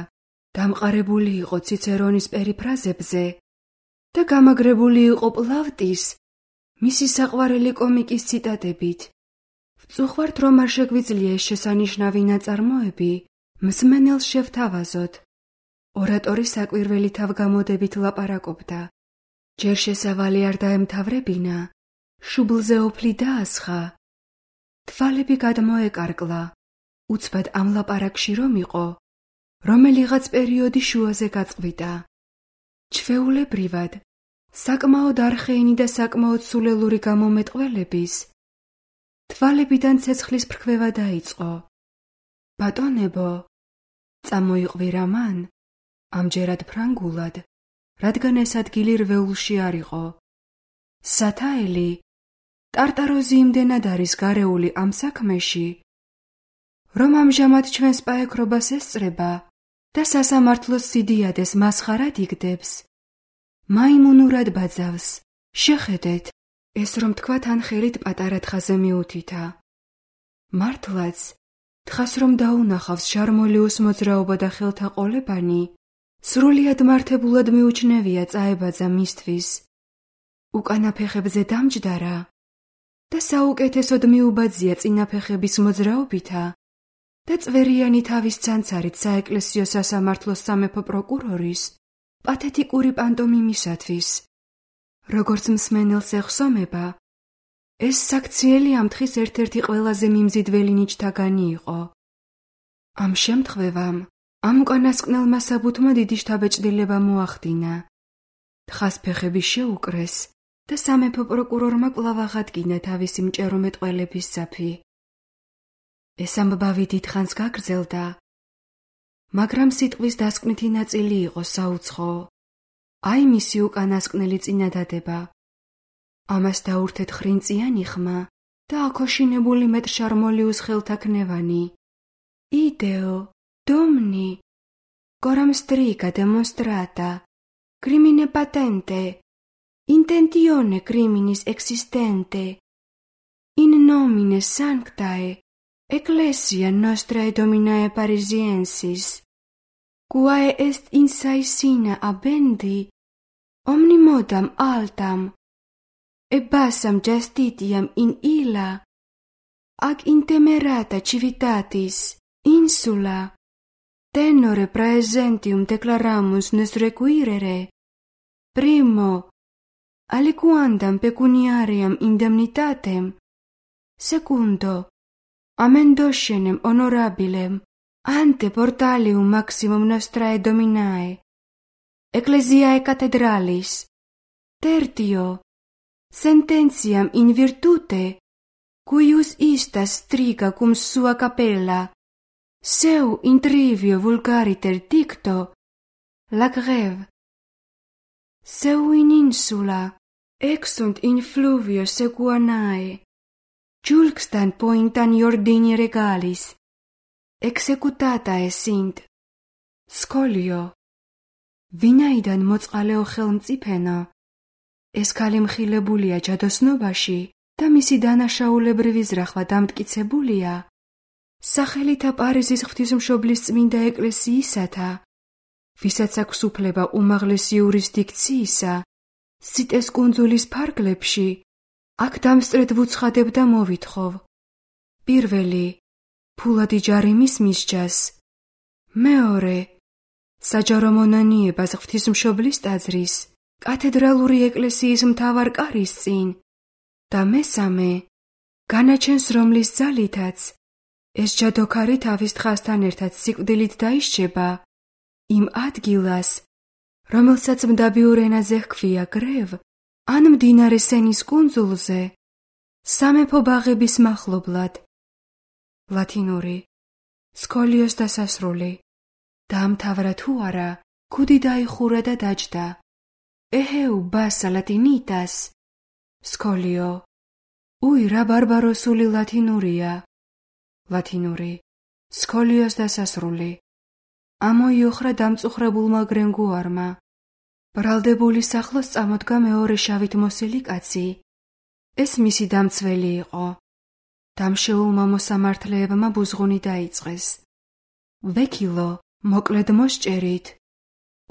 დამყარებული იყო ციცერონის პერიფრაზებზე და გამაგრებული იყო პლავტის, მისი საყვარელი კომიკის ციტატებით. ვწუხართ, რომ არ შეგვიძლია ეს შესანიშნავი ნაწარმოები მსმენელს შევთავაზოთ. ორატორი საკვირველი თავგამოდებით ლაპარაკობდა. ჯერ შესავალი არ დაემთავრებინა, შუბლზე ოფლი დაასხა. თვალები გადმოეკარგლა, უცბად ამ ლაპარაკში რომ იყო, რომელიღაც პერიოდი შუაზე გაწყვიტა. ჩვეულებრივად, საკმაოდ არხეინი და საკმაოდ სულელური გამომეტყველების, თვალებიდან ცეცხლის ფრქვევა დაიწყო. ბატონებო, წამოიყვირა მან, ამჯერად ფრანგულად, რადგან ეს ადგილი რვეულში არ იყო. სათაელი, ტარტაროზი იმდენად არის გარეული ამ საქმეში, რომ ამჟამად ჩვენს პაექრობას ესწრება და სასამართლოს სიდიადეს მასხარად იგდებს. მაიმუნურად ბაძავს, შეხედეთ, ეს რომ თქვა თან ხელით პატარა თხაზე მიუთითა. მართლაც, თხას რომ დაუნახავს შარმოლიუს მოძრაობა და ხელთაყოლებანი, სრულიად მართებულად მიუჩნევია წაებაძა მისთვის. უკანა ფეხებზე დამჯდარა და საუკეთესოდ მიუბაძია წინა ფეხების მოძრაობითა და წვერიანი თავის ცანცარით საეკლესიო სასამართლოს სამეფო პროკურორის პათეტიკური პანტომიმისათვის. როგორც მსმენელს ეხსომება, ეს საქციელი ამ თხის ერთ-ერთი ყველაზე მიმზიდველი ნიჭთაგანი იყო. ამ შემთხვევამ, ამ უკანასკნელმა საბუთმა დიდი შთაბეჭდილება მოახდინა. თხას ფეხები შეუკრეს და სამეფო პროკურორმა კვლავ აღადგინა თავისი მჭერომეტყველების ძაფი. ეს ამბავი დიდხანს გაგრძელდა, მაგრამ სიტყვის დასკვნითი ნაწილი იყო საუცხო. აი მისი უკანასკნელი წინადადება. ამას დაურთეთ ხრინწიანი ხმა და აქოშინებული მეტრ შარმოლიუს ხელთაქნევანი. იდეო, დომნი, coram striga demonstrata, crimine patente, intentione criminis existente, in nomine sanctae, Ecclesia nostrae dominae Parisiensis, quae est in saisina abendi, omnimodam altam, e bassam justitiam in illa, ac intemerata civitatis, insula, tenore praesentium declaramus nos requirere, primo, aliquandam pecuniariam indemnitatem, secundo, amendoscenem honorabilem ante portalium maximum nostrae dominae, ecclesiae cathedralis, tertio, sententiam in virtute, cuius istas striga cum sua capella, seu in trivio vulgariter dicto, la greve, seu in insula, exunt in fluvio sequanae, julxtant pointan iordini regalis, executatae sint. Scolio. ვინაიდან მოწყალეო ხელმწიფენა, ეს ქალი მხილებულია ჯადოსნობაში და მისი დანაშაულებრივი ზრახვა დამტკიცებულია სახელითა პარიზის ღვთისმშობლის წმინდა ეკლესიისათა, ვისაც აქვს უფლება უმაღლესი იურისდიქციისა, სიტეს კუნძულის ფარგლებში, აქ დამსწრედ ვუცხადებ და მოვითხოვ. პირველი, ფულადი ჯარიმის მისჯას. მეორე, საჯარო მონანიებას ღვთისმშობლის ტაძრის, კათედრალური ეკლესიის მთავარ კარის წინ და მესამე, განაჩენს რომლის ძალითაც ეს ჯადოქარი თავის თხასთან ერთად სიკვდილით დაისჯება იმ ადგილას, რომელსაც მდაბიურ ენაზე ჰქვია გრევ, ან მდინარე სენის კუნძულზე, სამეფო ბაღების მახლობლად. ლათინური. სკოლიოს დასასრული. დაამთავრა თუ არა, ქუდი დაიხურა და დაჯდა. ეჰეუ ბასა ლატინიტას. სკოლიო. უი, რა ბარბაროსული ლათინურია. ლათინური. სკოლიოს დასასრული. ამოიოხრა დამწუხრებულმა გრენგუარმა. ბრალდებული სახლოს წამოდგა მეორე შავით მოსილი კაცი. ეს მისი დამცველი იყო. დამშეულმა მოსამართლეებმა ბუზღუნი დაიწყეს. ვექილო, მოკლედ მოსჭერით,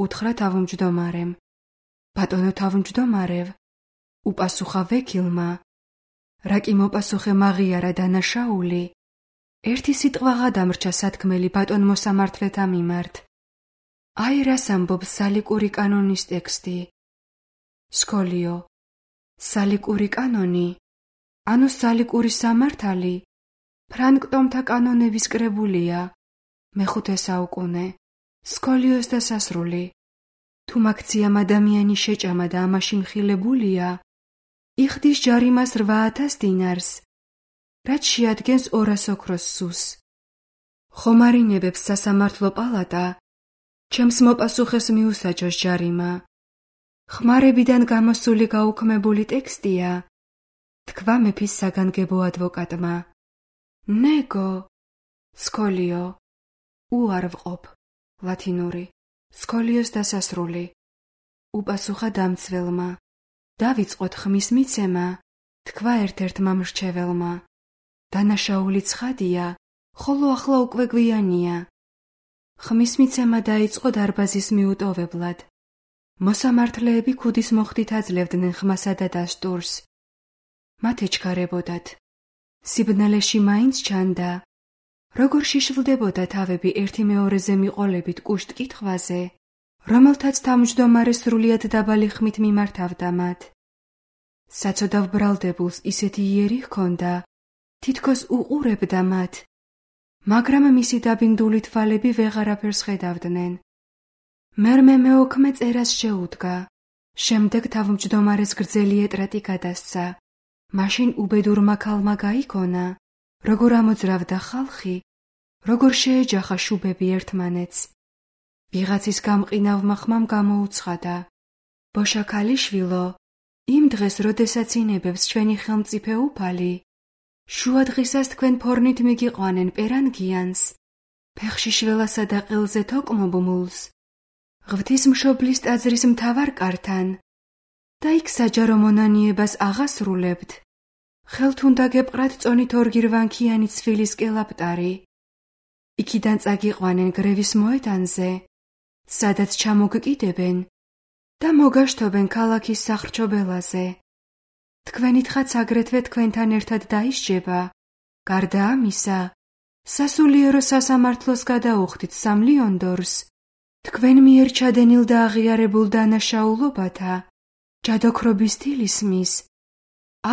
უთხრა თავმჯდომარემ. ბატონო თავმჯდომარევ, უპასუხა ვექილმა. რა კი მოპასუხე მაღიარა დანაშაული, ერთი სიტყვაღა დამრჩა სათქმელი ბატონ მოსამართლეთა მიმართ. აი რას ამბობს სალიკური კანონის ტექსტი. სკოლიო. სალიკური კანონი, ანუ სალიკური სამართალი, ფრანკტომთა კანონების კრებულია. მეხუთე საუკუნე. სკოლიოს დასასრული. თუ მაქციამ ადამიანი შეჭამა და ამაში მხილებულია, იხდის ჯარიმას 8,000 დინარს, რაც შეადგენს 200 ოქროს სუს. ხომარინებებს სასამართლო პალატა, ჩემს მოპასუხეს მიუსაჯოს ჯარიმა. ხმარებიდან გამოსული გაუქმებული ტექსტია, თქვა მეფის საგანგებო ადვოკატმა. ნეგო. სკოლიო. უარვყოფ. ლათინური. სკოლიოს დასასრული. უპასუხა დამცველმა. დავიწყოთ ხმის მიცემა, თქვა ერთ-ერთმა მრჩეველმა. დანაშაული ცხადია, ხოლო ახლა უკვე გვიანია. ხმის მიცემა დაიწყო დარბაზის მიუტოვებლად. მოსამართლეები ქუდის მოხდით აძლევდნენ ხმასა და დასტურს. მათ ეჩქარებოდათ. სიბნელეში მაინც ჩანდა, როგორ შიშვლდებოდა თავები ერთი მეორეზე მიყოლებით კუშტ კითხვაზე, რომელთაც თავმჯდომარე სრულიად დაბალი ხმით მიმართავდა მათ. საცოდავ ბრალდებულს ისეთი იერი ჰქონდა, თითქოს უყურებდა მათ, მაგრამ მისი დაბინდული თვალები ვეღარაფერს ხედავდნენ. მერმე მეოქმე წერას შეუდგა, შემდეგ თავმჯდომარეს გრძელი ეტრატი გადასცა. მაშინ უბედურმა ქალმა გაიქონა, როგორ ამოძრავდა ხალხი, როგორ შეეჯახა შუბები ერთმანეთს. ვიღაცის გამყინავმა ხმამ გამოუცხადა. ბოშა ქალიშვილო, იმ დღეს, როდესაც ინებებს ჩვენი ხელმწიფე უფალი, შუა დღისას თქვენ ფორნით მიგიყვანენ პერანგიანს, ფეხში შველასა და ყელზე თოკმობმულს, ღვთისმშობლის ტაძრის მთავარ კართან და იქ საჯარო მონანიებას აღასრულებთ. ხელთ უნდა გეპყრათ წონით ორგირვანქიანი ცვილის კელაპტარი. იქიდან წაგიყვანენ გრევის მოედანზე, სადაც ჩამოგკიდებენ და მოგაშთობენ ქალაქის სახრჩობელაზე. თქვენი თხაც აგრეთვე თქვენთან ერთად დაისჯება. გარდა ამისა, სასულიერო სასამართლოს გადაუხდით 3 ლიონდორს, თქვენ მიერ ჩადენილ და აღიარებულ დანაშაულობათა, ჯადოქრობის თილისმის,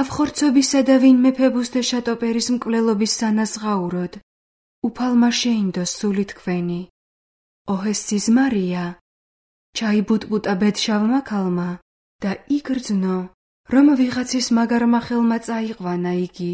ავხორცობისა და ვინმე ფებუსტე შატოპერის მკვლელობის სანაზღაუროდ, უფალმა შეინდოს სული თქვენი. ოჰეს სიზმარია, ჩაიბუტბუტა ბედშავმა ქალმა და იგრძნო, რომ ვიღაცის მაგარმა ხელმა წაიყვანა იგი.